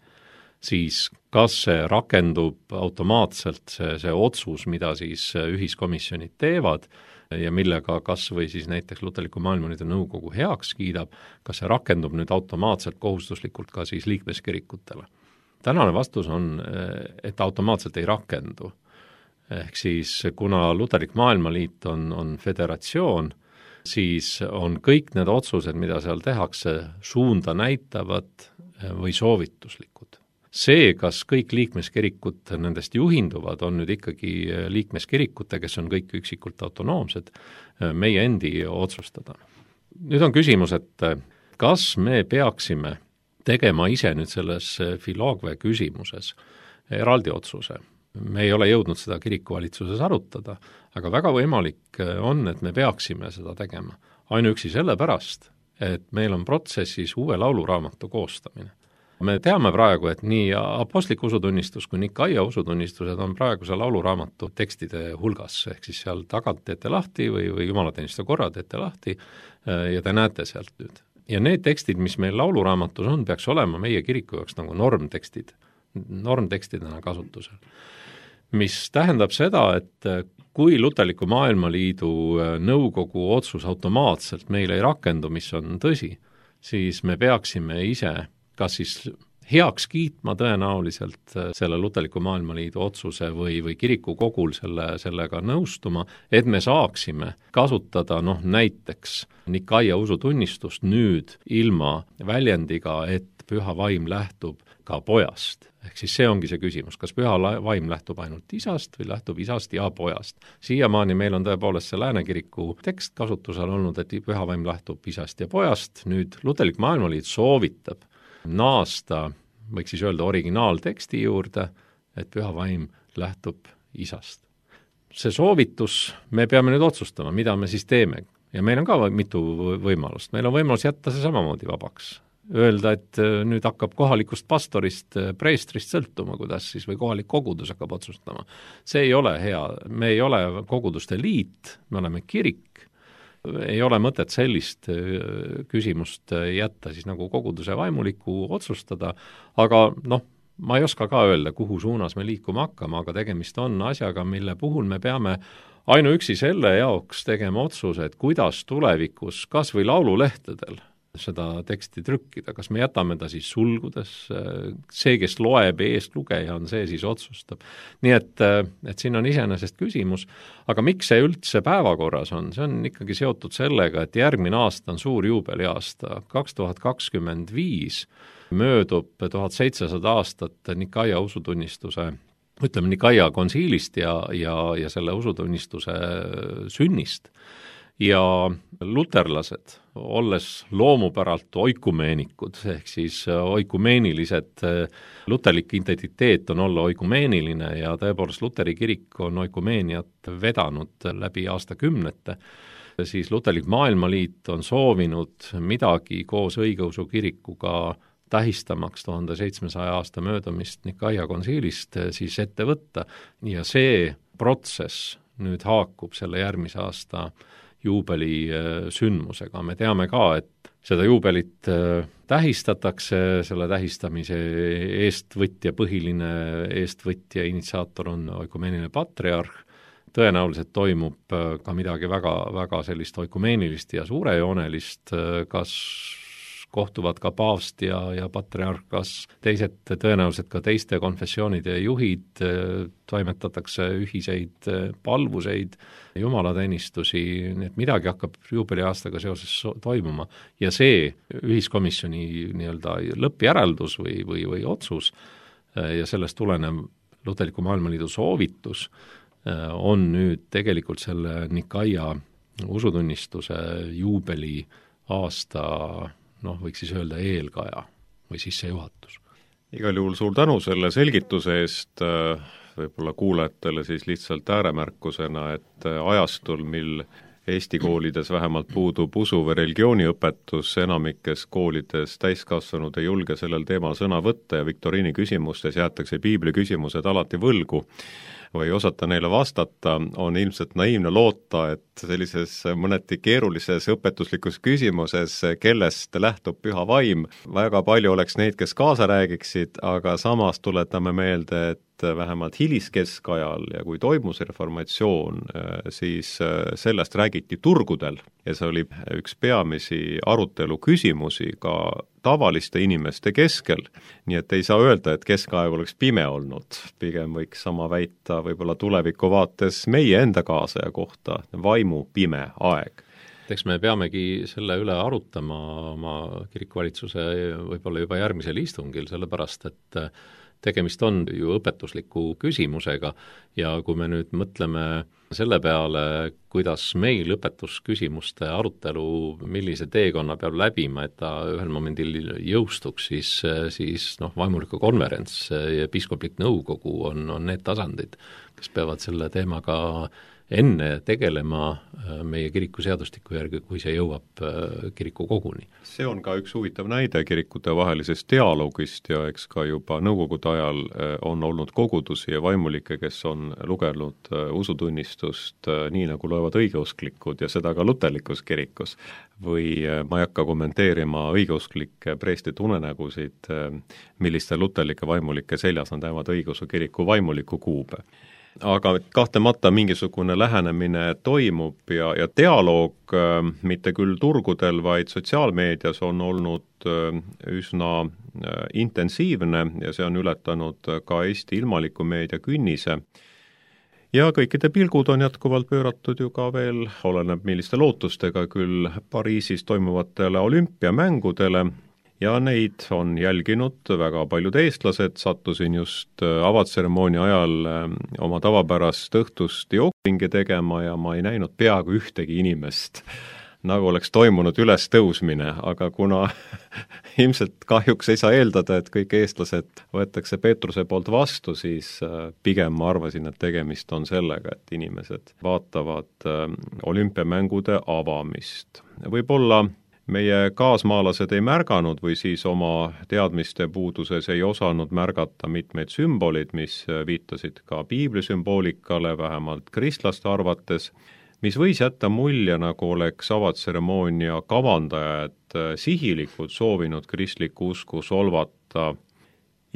siis kas see rakendub automaatselt, see otsus, mida siis ühiskomisjonid teevad ja millega kas või siis näiteks Luterliku Maailmaliidu nõukogu heaks kiidab, kas see rakendub nüüd automaatselt kohustuslikult ka siis liikmeskirikutele? Tänane vastus on, et automaatselt ei rakendu. Ehk siis kuna Luterlik Maailmaliit on föderatsioon, siis on kõik need otsused, mida seal tehakse, suunda näitavad või soovituslikud. See, kas kõik liikmeskirikud nendest juhinduvad, on nüüd ikkagi liikmeskirikute, kes on kõik üksikult autonoomsed, meie endi otsustada. Nüüd on küsimus, et kas me peaksime tegema ise nüüd selles Filogve küsimuses eraldi otsuse. Me ei ole jõudnud seda kirikuvalitsuses arutada, aga väga võimalik on, et me peaksime seda tegema. Ainuüksi sellepärast, et meil on protsessis uue lauluraamatu koostamine. Me teame praegu, et nii apostlik usutunnistus kui Nikaia usutunnistused on praeguse lauluraamatu tekstide hulgas, ehk siis seal tagant teete lahti või jumalateenistuse korra teete lahti ja te näete sealt nüüd. Ja need tekstid, mis meil lauluraamatus on, peaks olema meie kiriku jaoks nagu normtekstidena kasutusel. Mis tähendab seda, et kui Luterliku Maailmaliidu nõukogu otsus automaatselt meil ei rakendu, mis on tõsi, siis me peaksime ise kas siis heaks kiitma tõenäoliselt selle Luterliku Maailmaliidu otsuse või kirikukogul sellega nõustuma, et me saaksime kasutada näiteks Nikaia usutunnistust nüüd ilma väljendiga, et püha vaim lähtub ka pojast. Ehk siis see ongi see küsimus, kas püha vaim lähtub ainult isast või lähtub isast ja pojast. Siiamaani meil on tõepoolest see Lääne kiriku tekst kasutusel olnud, et püha vaim lähtub isast ja pojast. Nüüd Luterlik Maailmaliit soovitab naasta, võiks siis öelda originaalteksti juurde, et püha vaim lähtub isast. See soovitus, me peame nüüd otsustama, mida me siis teeme. Ja meil on ka mitu võimalust. Meil on võimalus jätta see samamoodi vabaks. Öelda, et nüüd hakkab kohalikust pastorist, preestrist sõltuma, kuidas siis, või kohalik kogudus hakkab otsustama. See ei ole hea. Me ei ole koguduste liit, me oleme kirik. Ei ole mõtet sellist küsimust jätta siis nagu koguduse vaimuliku otsustada, aga ma ei oska ka öelda, kuhu suunas me liikuma hakkama, aga tegemist on asjaga, mille puhul me peame ainuüksi selle jaoks tegema otsuse, et kuidas tulevikus kas või laululehtedel seda teksti trükkida, kas me jätame ta siis sulgudes, see, kes loeb, eestlugeja on see, siis otsustab. Nii et siin on iseenesest küsimus, aga miks see üldse päevakorras on? See on ikkagi seotud sellega, et järgmine aasta on suur juubeliaasta, 2025 möödub 1700 aastat Nikaia usutunnistuse, ütleme Nikaia konsiilist ja selle usutunnistuse sünnist. Ja luterlased, olles loomupäralt oikumeenikud, ehk siis oikumeenilised, luterlik identiteet on olla oikumeeniline ja tõepoolest Luteri kirik on oikumeeniat vedanud läbi aastakümnete, siis Luterlik Maailmaliit on soovinud midagi koos õigeusu kirikuga tähistamaks 1700 aasta möödumist Nikaia konsiilist siis ette võtta ja see protsess nüüd haakub selle järgmise aasta juubeli sündmusega. Me teame ka, et seda juubelit tähistatakse, selle tähistamise põhiline eestvõtja, initsiaator on oikumeeniline patriarh, tõenäoliselt toimub ka midagi väga, väga sellist oikumeenilist ja suurejoonelist, kas kohtuvad ka paavst ja patriarh, kas teised, tõenäoliselt ka teiste konfessioonide juhid, toimetatakse ühiseid palvuseid, jumalateenistusi, nii et midagi hakkab juubeliaastaga seoses toimuma. Ja see ühiskomisjoni nii-öelda lõppjäreldus või otsus ja sellest tulenev Luterliku Maailmaliidu soovitus on nüüd tegelikult selle Nikaia usutunnistuse juubeli aasta võiks siis öelda eelkaja või sissejuhatus. igal juhul suur tänu selle selgituse eest, võib-olla kuulajatele siis lihtsalt ääremärkusena, et ajastul, mil Eesti koolides vähemalt puudub usu- või religiooniõpetus, enamikes koolides täiskasvanud ei julge sellel teemal sõna võtta ja viktoriini küsimustes jäetakse piibli küsimused alati võlgu või ei osata neile vastata, on ilmselt naiivne loota, et sellises mõneti keerulises õpetuslikus küsimuses, kellest lähtub püha vaim, väga palju oleks neid, kes kaasa räägiksid, aga samas tuletame meelde, et vähemalt hiliskeskajal ja kui toimus reformatsioon, siis sellest räägiti turgudel ja see oli üks peamisi arutelu küsimusi ka tavaliste inimeste keskel, nii et ei saa öelda, et keskaeg oleks pime olnud, pigem võiks sama väita võib-olla tuleviku vaates meie enda kaasaja kohta, vaimu pime aeg. Eks me peamegi selle üle arutama oma kirikuvalitsuse võib-olla juba järgmisel istungil, sellepärast et tegemist on ju õpetusliku küsimusega ja kui me nüüd mõtleme selle peale, kuidas meil õpetusküsimuste arutelu, millise teekonna peab läbima, et ta ühel momendil jõustuks, siis vaimuliku konverents ja piiskoplik nõukogu on need tasandid, kes peavad selle teemaga enne tegelema meie kiriku seadustiku järgi, kui see jõuab kiriku koguni. See on ka üks huvitav näide kirikute vahelisest dialoogist ja eks ka juba nõukogude ajal on olnud kogudusi ja vaimulikke, kes on lugenud usutunnistust nii, nagu loevad õigeusklikud ja seda ka luterlikus kirikus. Või ma ei hakka kommenteerima õigeusklike preestide unenägusid, milliste luterlike vaimulike seljas on täivad õigeusu kiriku vaimuliku kuube. Aga kahtlemata mingisugune lähenemine toimub ja dialoog mitte küll turgudel, vaid sotsiaalmeedias on olnud üsna intensiivne ja see on ületanud ka Eesti ilmaliku meedia künnise. Ja kõikide pilgud on jätkuvalt pööratud ju ka veel, oleneb milliste lootustega küll Pariisis toimuvatele olümpiamängudele, ja neid on jälginud väga paljud eestlased, sattusin just avatseremoonia ajal oma tavapärast õhtust jookringi tegema ja ma ei näinud peaaegu ühtegi inimest, nagu oleks toimunud ülestõusmine, aga kuna ilmselt kahjuks ei saa eeldada, et kõik eestlased võetakse Peetruse poolt vastu, siis pigem ma arvasin, et tegemist on sellega, et inimesed vaatavad olümpiamängude avamist. Võib-olla meie kaasmaalased ei märganud või siis oma teadmiste puuduses ei osanud märgata mitmeid sümboleid, mis viitasid ka piiblisümboolikale, vähemalt kristlaste arvates, mis võis jätta mulje, nagu oleks avatseremoonia kavandajad sihilikult soovinud kristlikku usku solvata.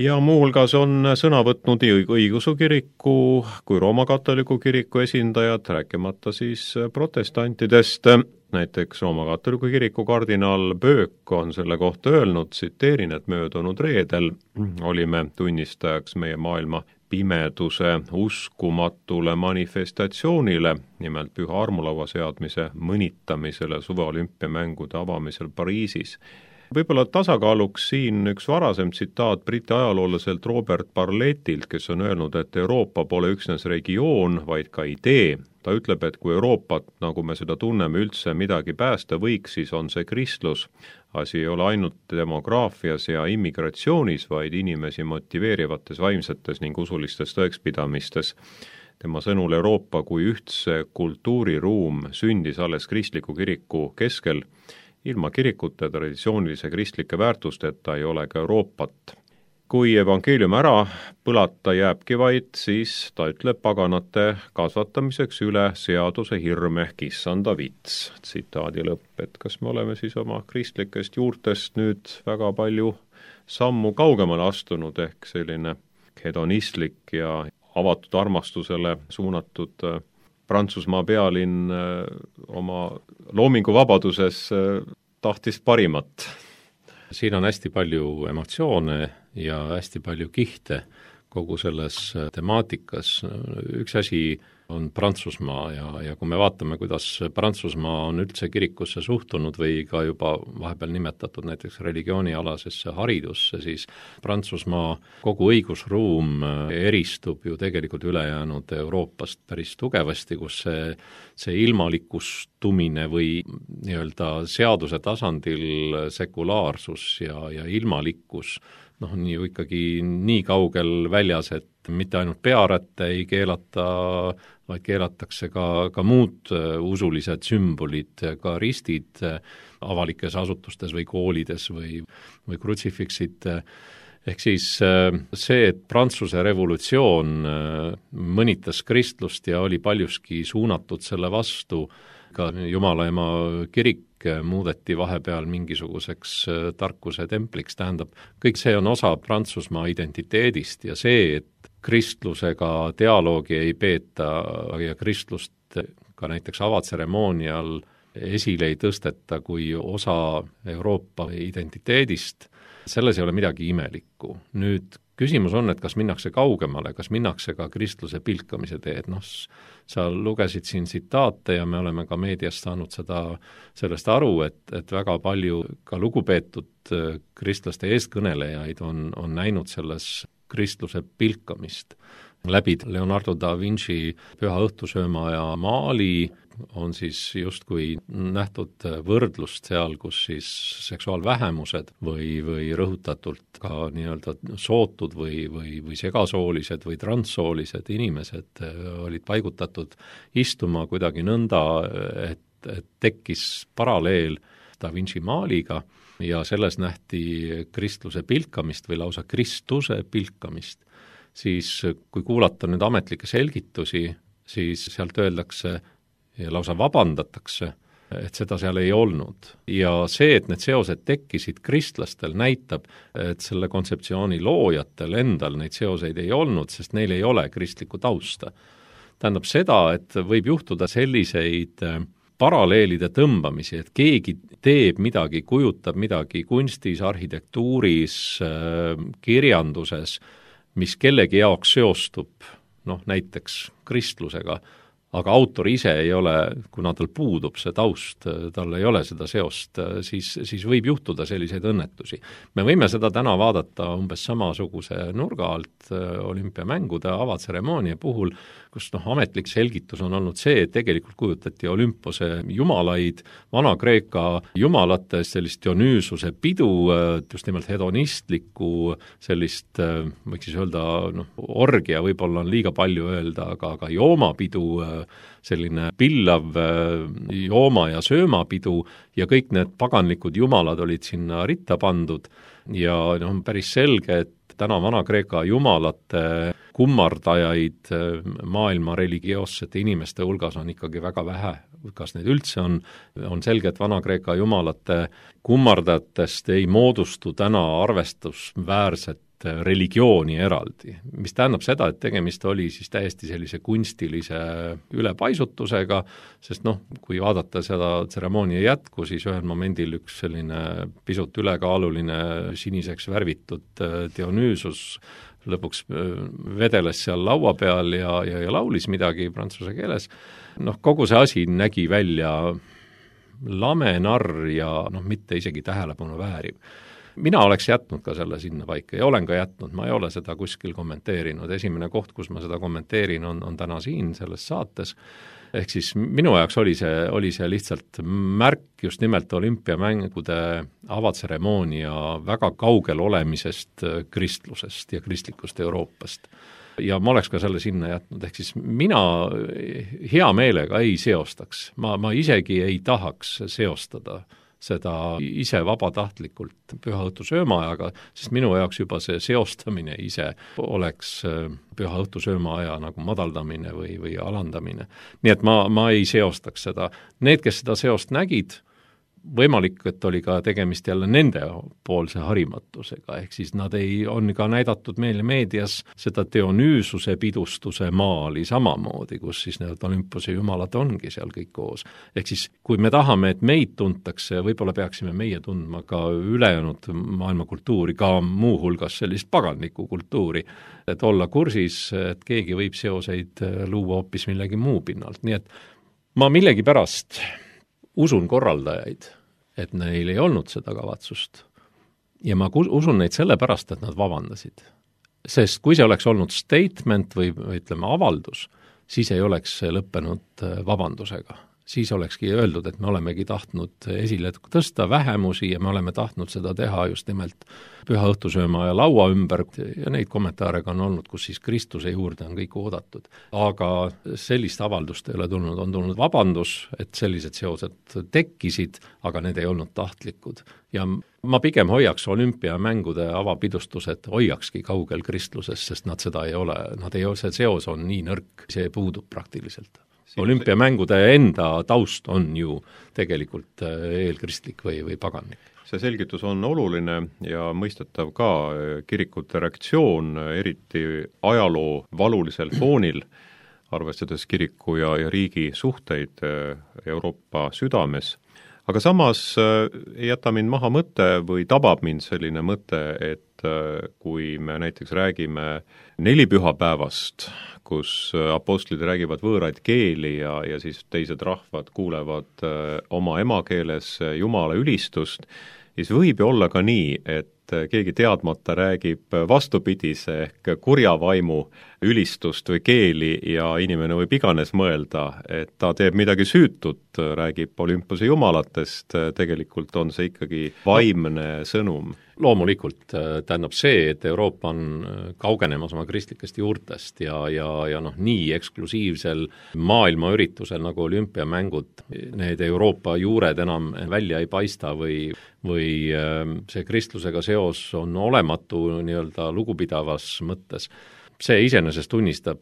Ja muuhulgas on sõna võtnud nii õigeusu kiriku kui Rooma katoliku kiriku esindajad, rääkimata siis protestantidest. Näiteks Rooma katoliku kiriku kardinaal Böök on selle kohta öelnud, tsiteerin, et möödunud reedel olime tunnistajaks meie maailma pimeduse uskumatule manifestatsioonile, nimelt püha armulaua seadmise mõnitamisele suveolümpiamängude avamisel Pariisis. Võib-olla tasakaaluks siin üks varasem tsitaat Briti ajaloolaselt Robert Barlettilt, kes on öelnud, et Euroopa pole üksnes regioon, vaid ka idee. Ta ütleb, et kui Euroopat, nagu me seda tunneme, üldse midagi päästa võiks, siis on see kristlus. Asi ei ole ainult demograafias ja immigratsioonis, vaid inimesi motiveerivates vaimsetes ning usulistes tõekspidamistes. Tema sõnul Euroopa kui ühtse kultuuriruum sündis alles kristliku kiriku keskel. Ilma kirikute traditsioonilise kristlike väärtusteta ei ole ka Euroopat. Kui evangeelium ära põlata jääbki vaid, siis ta ütleb paganate kasvatamiseks üle seaduse hirm ehk issanda vits. Tsitaadi lõpp, et kas me oleme siis oma kristlikest juurtest nüüd väga palju sammu kaugemale astunud ehk selline hedonistlik ja avatud armastusele suunatud Prantsusmaa pealinn oma loominguvabaduses tahtis parimat. Siin on hästi palju emotsioone ja hästi palju kihte kogu selles temaatikas. Üks asi on Prantsusmaa ja kui me vaatame, kuidas Prantsusmaa on üldse kirikusse suhtunud või ka juba vahepeal nimetatud näiteks religioonialasesse haridusse, siis Prantsusmaa kogu õigusruum eristub ju tegelikult ülejäänud Euroopast päris tugevasti, kus see ilmalikustumine või nii-öelda seaduse tasandil sekulaarsus ja ilmalikkus nii ju ikkagi nii kaugel väljas, et mitte ainult pearätte ei keelata, vaid keelatakse ka muud usulised sümbolid, ka ristid avalikes asutustes või koolides või krutsifiksid. Ehk siis see, et Prantsuse revolutsioon mõnitas kristlust ja oli paljuski suunatud selle vastu, ka Jumala ema kirik muudeti vahepeal mingisuguseks tarkuse templiks, tähendab, kõik see on osa Prantsusmaa identiteedist ja see, et kristlusega dialoogi ei peeta ja kristlust ka näiteks avatseremoonial esile ei tõsteta kui osa Euroopa identiteedist, selles ei ole midagi imelikku. Nüüd küsimus on, et kas minnakse kaugemale, kas minnakse ka kristluse pilkamise teed, sa lugesid siin tsitaate ja me oleme ka meediast saanud sellest aru, et väga palju ka lugupeetud kristlaste eestkõnelejaid on näinud selles kristluse pilkamist. Läbi Leonardo da Vinci Püha õhtusöömaja maali on siis justkui nähtud võrdlust seal, kus siis seksuaalvähemused või rõhutatult ka nii-öelda sootud või segasoolised või transsoolised inimesed olid paigutatud istuma kuidagi nõnda, et tekkis paralleel da Vinci maaliga ja selles nähti kristluse pilkamist või lausa Kristuse pilkamist. Siis kui kuulata nüüd ametlikke selgitusi, siis sealt öeldakse ja lausa vabandatakse, et seda seal ei olnud. Ja see, et need seosed tekkisid kristlastel, näitab, et selle kontseptsiooni loojatel endal neid seoseid ei olnud, sest neil ei ole kristlikku tausta. Tähendab seda, et võib juhtuda selliseid paralleelide tõmbamisi, et keegi teeb midagi, kujutab midagi kunstis, arhitektuuris, kirjanduses, mis kellegi jaoks seostub, näiteks kristlusega, aga autor ise ei ole, kuna tal puudub see taust, tal ei ole seda seost, siis võib juhtuda selliseid õnnetusi. Me võime seda täna vaadata umbes samasuguse nurga alt olümpiamängude avatseremoonia puhul, kus ametlik selgitus on olnud see, et tegelikult kujutati Olümpose jumalaid, Vana-Kreeka jumalates sellist Dionüüsuse pidu, just nimelt hedonistlikku sellist, võiks siis öelda, orgia võib-olla on liiga palju öelda, aga joomapidu, selline pillav jooma- ja söömapidu ja kõik need paganlikud jumalad olid sinna ritta pandud ja on päris selge, et täna Vana-Kreeka jumalate kummardajaid maailma religioossete inimeste hulgas on ikkagi väga vähe. Kas neid üldse on selge, et Vana-Kreeka jumalate kummardajatest ei moodustu täna arvestusväärset religiooni eraldi, mis tähendab seda, et tegemist oli siis täiesti sellise kunstilise ülepaisutusega, sest kui vaadata seda tseremoonia jätku, siis ühel momendil üks selline pisut ülekaaluline siniseks värvitud Dionüüsus lõpuks vedeles seal laua peal ja laulis midagi prantsuse keeles. Kogu see asi nägi välja lame, narr ja mitte isegi tähelepanu vääriv. Mina oleks jätnud ka selle sinna paika ja olen ka jätnud, ma ei ole seda kuskil kommenteerinud. Esimene koht, kus ma seda kommenteerin, on täna siin selles saates. Ehk siis minu jaoks oli see lihtsalt märk just nimelt olümpiamängude avatseremoonia väga kaugel olemisest kristlusest ja kristlikust Euroopast. Ja ma oleks ka selle sinna jätnud, ehk siis mina hea meelega ei seostaks, ma isegi ei tahaks seostada seda ise vabatahtlikult Püha õhtusöömaajaga, sest minu jaoks juba see seostamine ise oleks Püha õhtusöömaaja nagu madaldamine või alandamine. Nii et ma ei seostaks seda. Need, kes seda seost nägid, võimalik, et oli ka tegemist jälle nendepoolse harimatusega, ehk siis nad on ka näidatud meile meedias seda Dionüüsuse pidustuse maali samamoodi, kus siis need Olümpose jumalad ongi seal kõik koos. Ehk siis, kui me tahame, et meid tuntakse, võib-olla peaksime meie tundma ka ülejäänud maailma kultuuri, ka muuhulgas sellist paganlikku kultuuri, et olla kursis, et keegi võib seoseid luua hoopis millegi muu pinnalt, nii et ma millegipärast usun korraldajaid, et neil ei olnud seda kavatsust. Ja ma usun neid sellepärast, et nad vabandasid. Sest kui see oleks olnud statement või ütleme avaldus, siis ei oleks see lõppenud vabandusega. Siis olekski öeldud, et me olemegi tahtnud esile tõsta vähemusi ja me oleme tahtnud seda teha just nimelt püha õhtusööma ja laua ümber ja neid kommentaare on olnud, kus siis Kristuse juurde on kõik oodatud. Aga sellist avaldust ei ole tulnud, on tulnud vabandus, et sellised seosed tekkisid, aga need ei olnud tahtlikud. Ja ma pigem hoiaks olümpiamängude avapidustused, hoiakski kaugel kristlusest, sest nad seda ei ole, see seos on nii nõrk, see puudub praktiliselt. Olümpiamängude enda taust on ju tegelikult eelkristlik või paganlik. See selgitus on oluline ja mõistetav ka kirikute reaktsioon, eriti ajaloo valulisel foonil, arvestades kiriku ja riigi suhteid Euroopa südames. Aga samas ei jäta mind maha mõte või tabab mind selline mõte, et kui me näiteks räägime nelipühapäevast, kus apostlid räägivad võõraid keeli ja siis teised rahvad kuulevad oma emakeeles Jumala ülistust, siis võib ju olla ka nii, et keegi teadmata räägib vastupidise ehk kurja vaimu ülistust või keeli ja inimene võib iganes mõelda, et ta teeb midagi süütut, räägib Olümpose jumalatest, tegelikult on see ikkagi vaimne sõnum. Loomulikult tähendab see, et Euroopa on kaugenemas oma kristlikest juurtest ja nii eksklusiivsel maailmaüritusel nagu olümpiamängud, need Euroopa juured enam välja ei paista või see kristlusega seos on olematu nii-öelda lugupidavas mõttes. See iseenesest tunnistab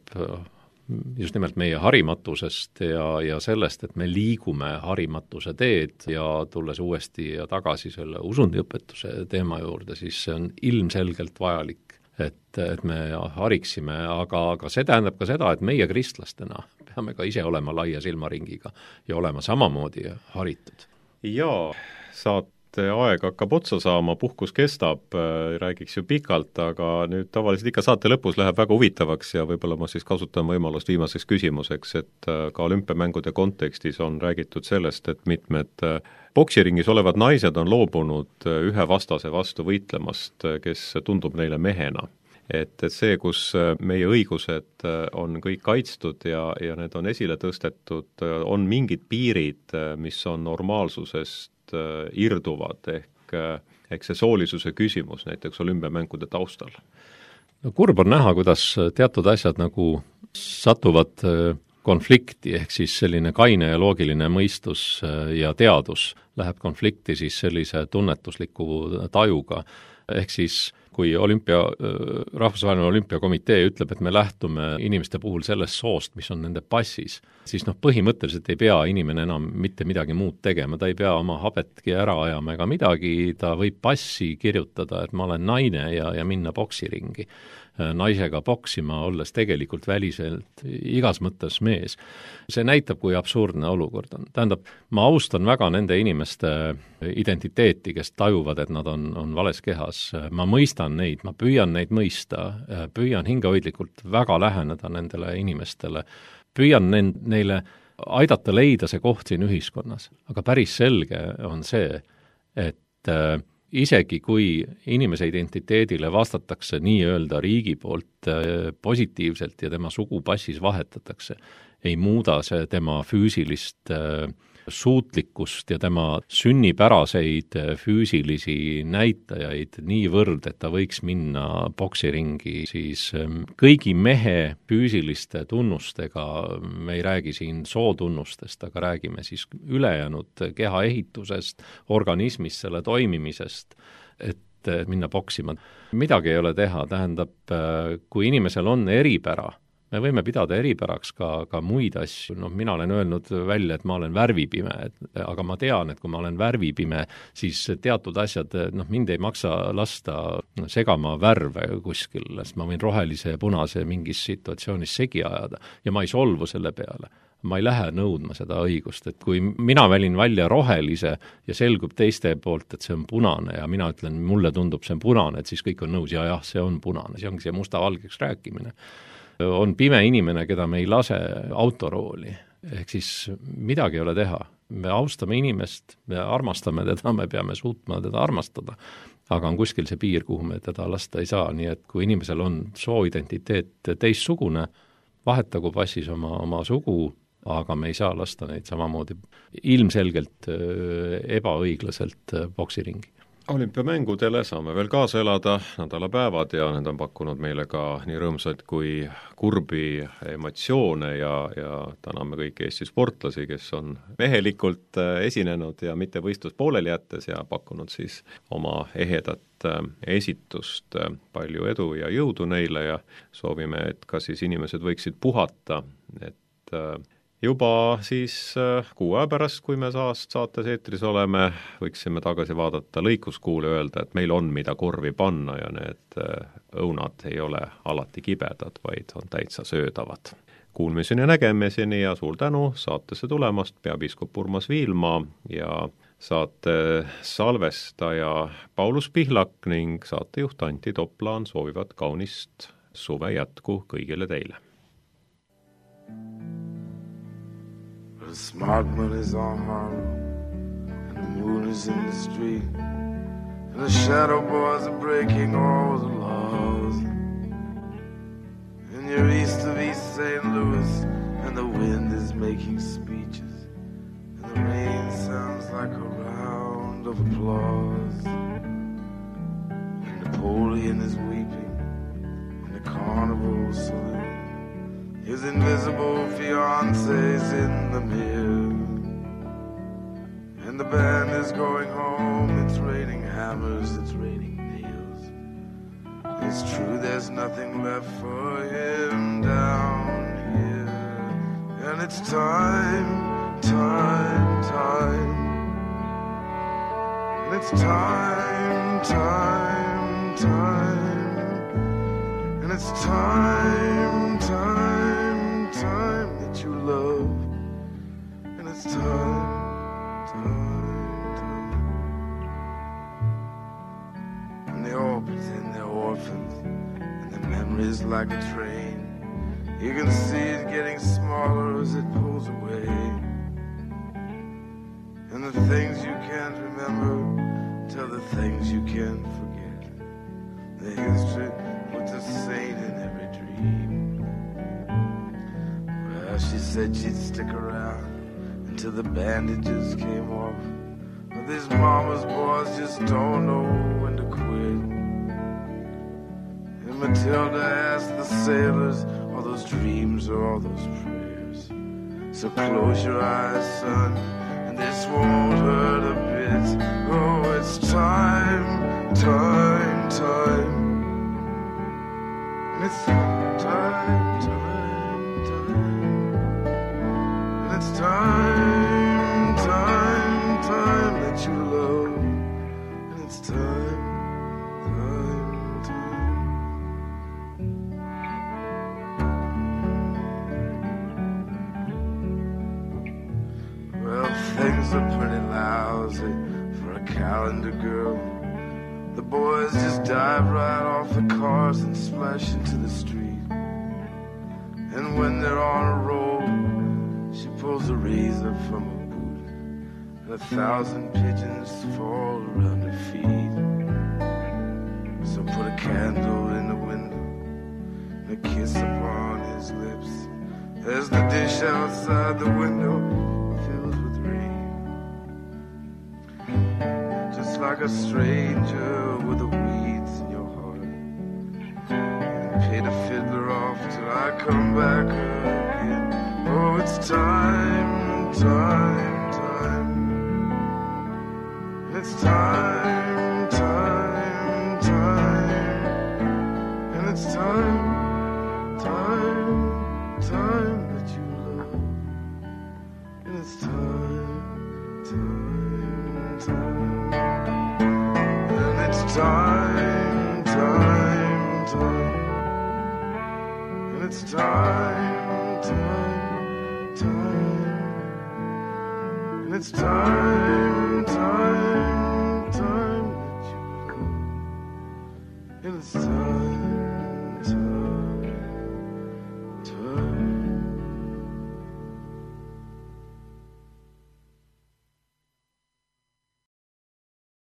just nimelt meie harimatusest ja sellest, et me liigume harimatuse teed ja tulles uuesti ja tagasi selle usundiõpetuse teema juurde, siis see on ilmselgelt vajalik, et me hariksime, aga see tähendab ka seda, et meie kristlastena peame ka ise olema laia silmaringiga ja olema samamoodi haritud. Jaa, saate aeg hakkab otsa saama, puhkus kestab, räägiks ju pikalt, aga nüüd tavaliselt ikka saate lõpus läheb väga huvitavaks ja võib-olla ma siis kasutan võimalust viimaseks küsimuseks, et ka olümpiamängude kontekstis on räägitud sellest, et mitmed poksiringis olevad naised on loobunud ühe vastase vastu võitlemast, kes tundub neile mehena. Et see, kus meie õigused on kõik kaitstud ja need on esile tõstetud, on mingid piirid, mis on normaalsusest irduvad, ehk see soolisuse küsimus näiteks olümpiamängude taustal. No kurb on näha, kuidas teatud asjad nagu satuvad konflikti, ehk siis selline kaine ja loogiline mõistus ja teadus läheb konflikti siis sellise tunnetusliku tajuga, ehk siis kui rahvusvaheline olümpiakomitee ütleb, et me lähtume inimeste puhul sellest soost, mis on nende passis, siis põhimõtteliselt ei pea inimene enam mitte midagi muud tegema, ta ei pea oma habetki ära ajama ega midagi, ta võib passi kirjutada, et ma olen naine ja minna poksiringi naisega poksima, olles tegelikult väliselt igas mõttes mees. See näitab, kui absurdne olukord on. Tähendab, ma austan väga nende inimeste identiteeti, kes tajuvad, et nad on vales kehas. Ma mõistan neid, ma püüan neid mõista, püüan hingehoidlikult väga läheneda nendele inimestele, püüan neile aidata leida see koht siin ühiskonnas. Aga päris selge on see, et isegi kui inimese identiteedile vastatakse nii-öelda riigi poolt positiivselt ja tema sugupassis vahetatakse, ei muuda see tema füüsilist suutlikkust ja tema sünnipäraseid füüsilisi näitajaid niivõrd, et ta võiks minna poksiringi siis kõigi mehe füüsiliste tunnustega, me ei räägi siin sootunnustest, aga räägime siis ülejäänud kehaehitusest, organismist, selle toimimisest, et minna poksima. Midagi ei ole teha, tähendab, kui inimesel on eripära, me võime pidada eripäraks ka muid asju, mina olen öelnud välja, et ma olen värvipime, aga ma tean, et kui ma olen värvipime, siis teatud asjad, mind ei maksa lasta segama värve kuskil, sest ma võin rohelise ja punase mingis situatsioonis segi ajada ja ma ei solvu selle peale. Ma ei lähe nõudma seda õigust, et kui mina välin välja rohelise ja selgub teiste poolt, et see on punane ja mina ütlen, mulle tundub see on punane, et siis kõik on nõus, jah, see on punane, see ongi see musta-valgeks rääkimine. On pime inimene, keda me ei lase autorooli, ehk siis midagi ei ole teha. Me austame inimest, me armastame teda, me peame suutma teda armastada, aga on kuskil see piir, kuhu me teda lasta ei saa, nii et kui inimesel on sooidentiteet teistsugune, vahetagu passis oma sugu, aga me ei saa lasta neid samamoodi ilmselgelt ebaõiglaselt boksiringi. Olümpiamängudele saame veel kaasa elada nädalapäevad ja need on pakkunud meile ka nii rõõmsaid kui kurbi emotsioone ja täname kõiki Eesti sportlasi, kes on mehelikult esinenud ja mitte võistlust pooleli jättes ja pakkunud siis oma ehedat esitust. Palju edu ja jõudu neile ja soovime, et ka siis inimesed võiksid puhata, et juba siis 6 aja pärast, kui me saates eetris oleme, võiksime tagasi vaadata lõikuskuule ja öelda, et meil on mida korvi panna ja need õunad ei ole alati kibedad, vaid on täitsa söödavad. Kuulmiseni ja nägemiseni ja suur tänu saatesse tulemast, peapiiskop Urmas Viilma ja saate salvestaja Paulus Pihlak ning saatejuht Antti Toplaan soovivad kaunist suve jätku kõigile teile. The smart money's on Harlem, and the moon is in the street, and the shadow boys are breaking all the laws. And you're east of East St. Louis, and the wind is making speeches, and the rain sounds like a round of applause. And Napoleon is weeping in the carnival saloon. His invisible fiancé's in the mirror, and the band is going home. It's raining hammers, it's raining nails. It's true there's nothing left for him down here, and it's time, time, time. And it's time, time, time. And it's time, time, time that you love. And it's time, time, time. And they all pretend they're orphans, and their memory's like a train. You can see it getting smaller as it pulls away. And the things you can't remember tell the things you can't forget. The history puts a saint in every dream. Well, she said she'd stick around until the bandages came off. But these mama's boys just don't know when to quit. And Matilda asked the sailors, all those dreams or all those prayers. So close your eyes, son, and this won't hurt a bit. Oh, it's time, time, time. And it's time, time, time. And it's time, time, time that you love. And it's time, time, time. Well, things are pretty lousy for a calendar girl. The boys just dive right off the cars and splash into the street. And when they're on a roll, she pulls a razor from a boot, and 1,000 pigeons fall around her feet. So put a candle in the window and a kiss upon his lips, as the dish outside the window fills with rain. Just like a stranger with the weeds in your heart, and pay the fiddler off till I come back again. Oh, it's time, time, time. It's time, time, time. And it's time, time, time, time, time. And it's time, time, time. And it's time.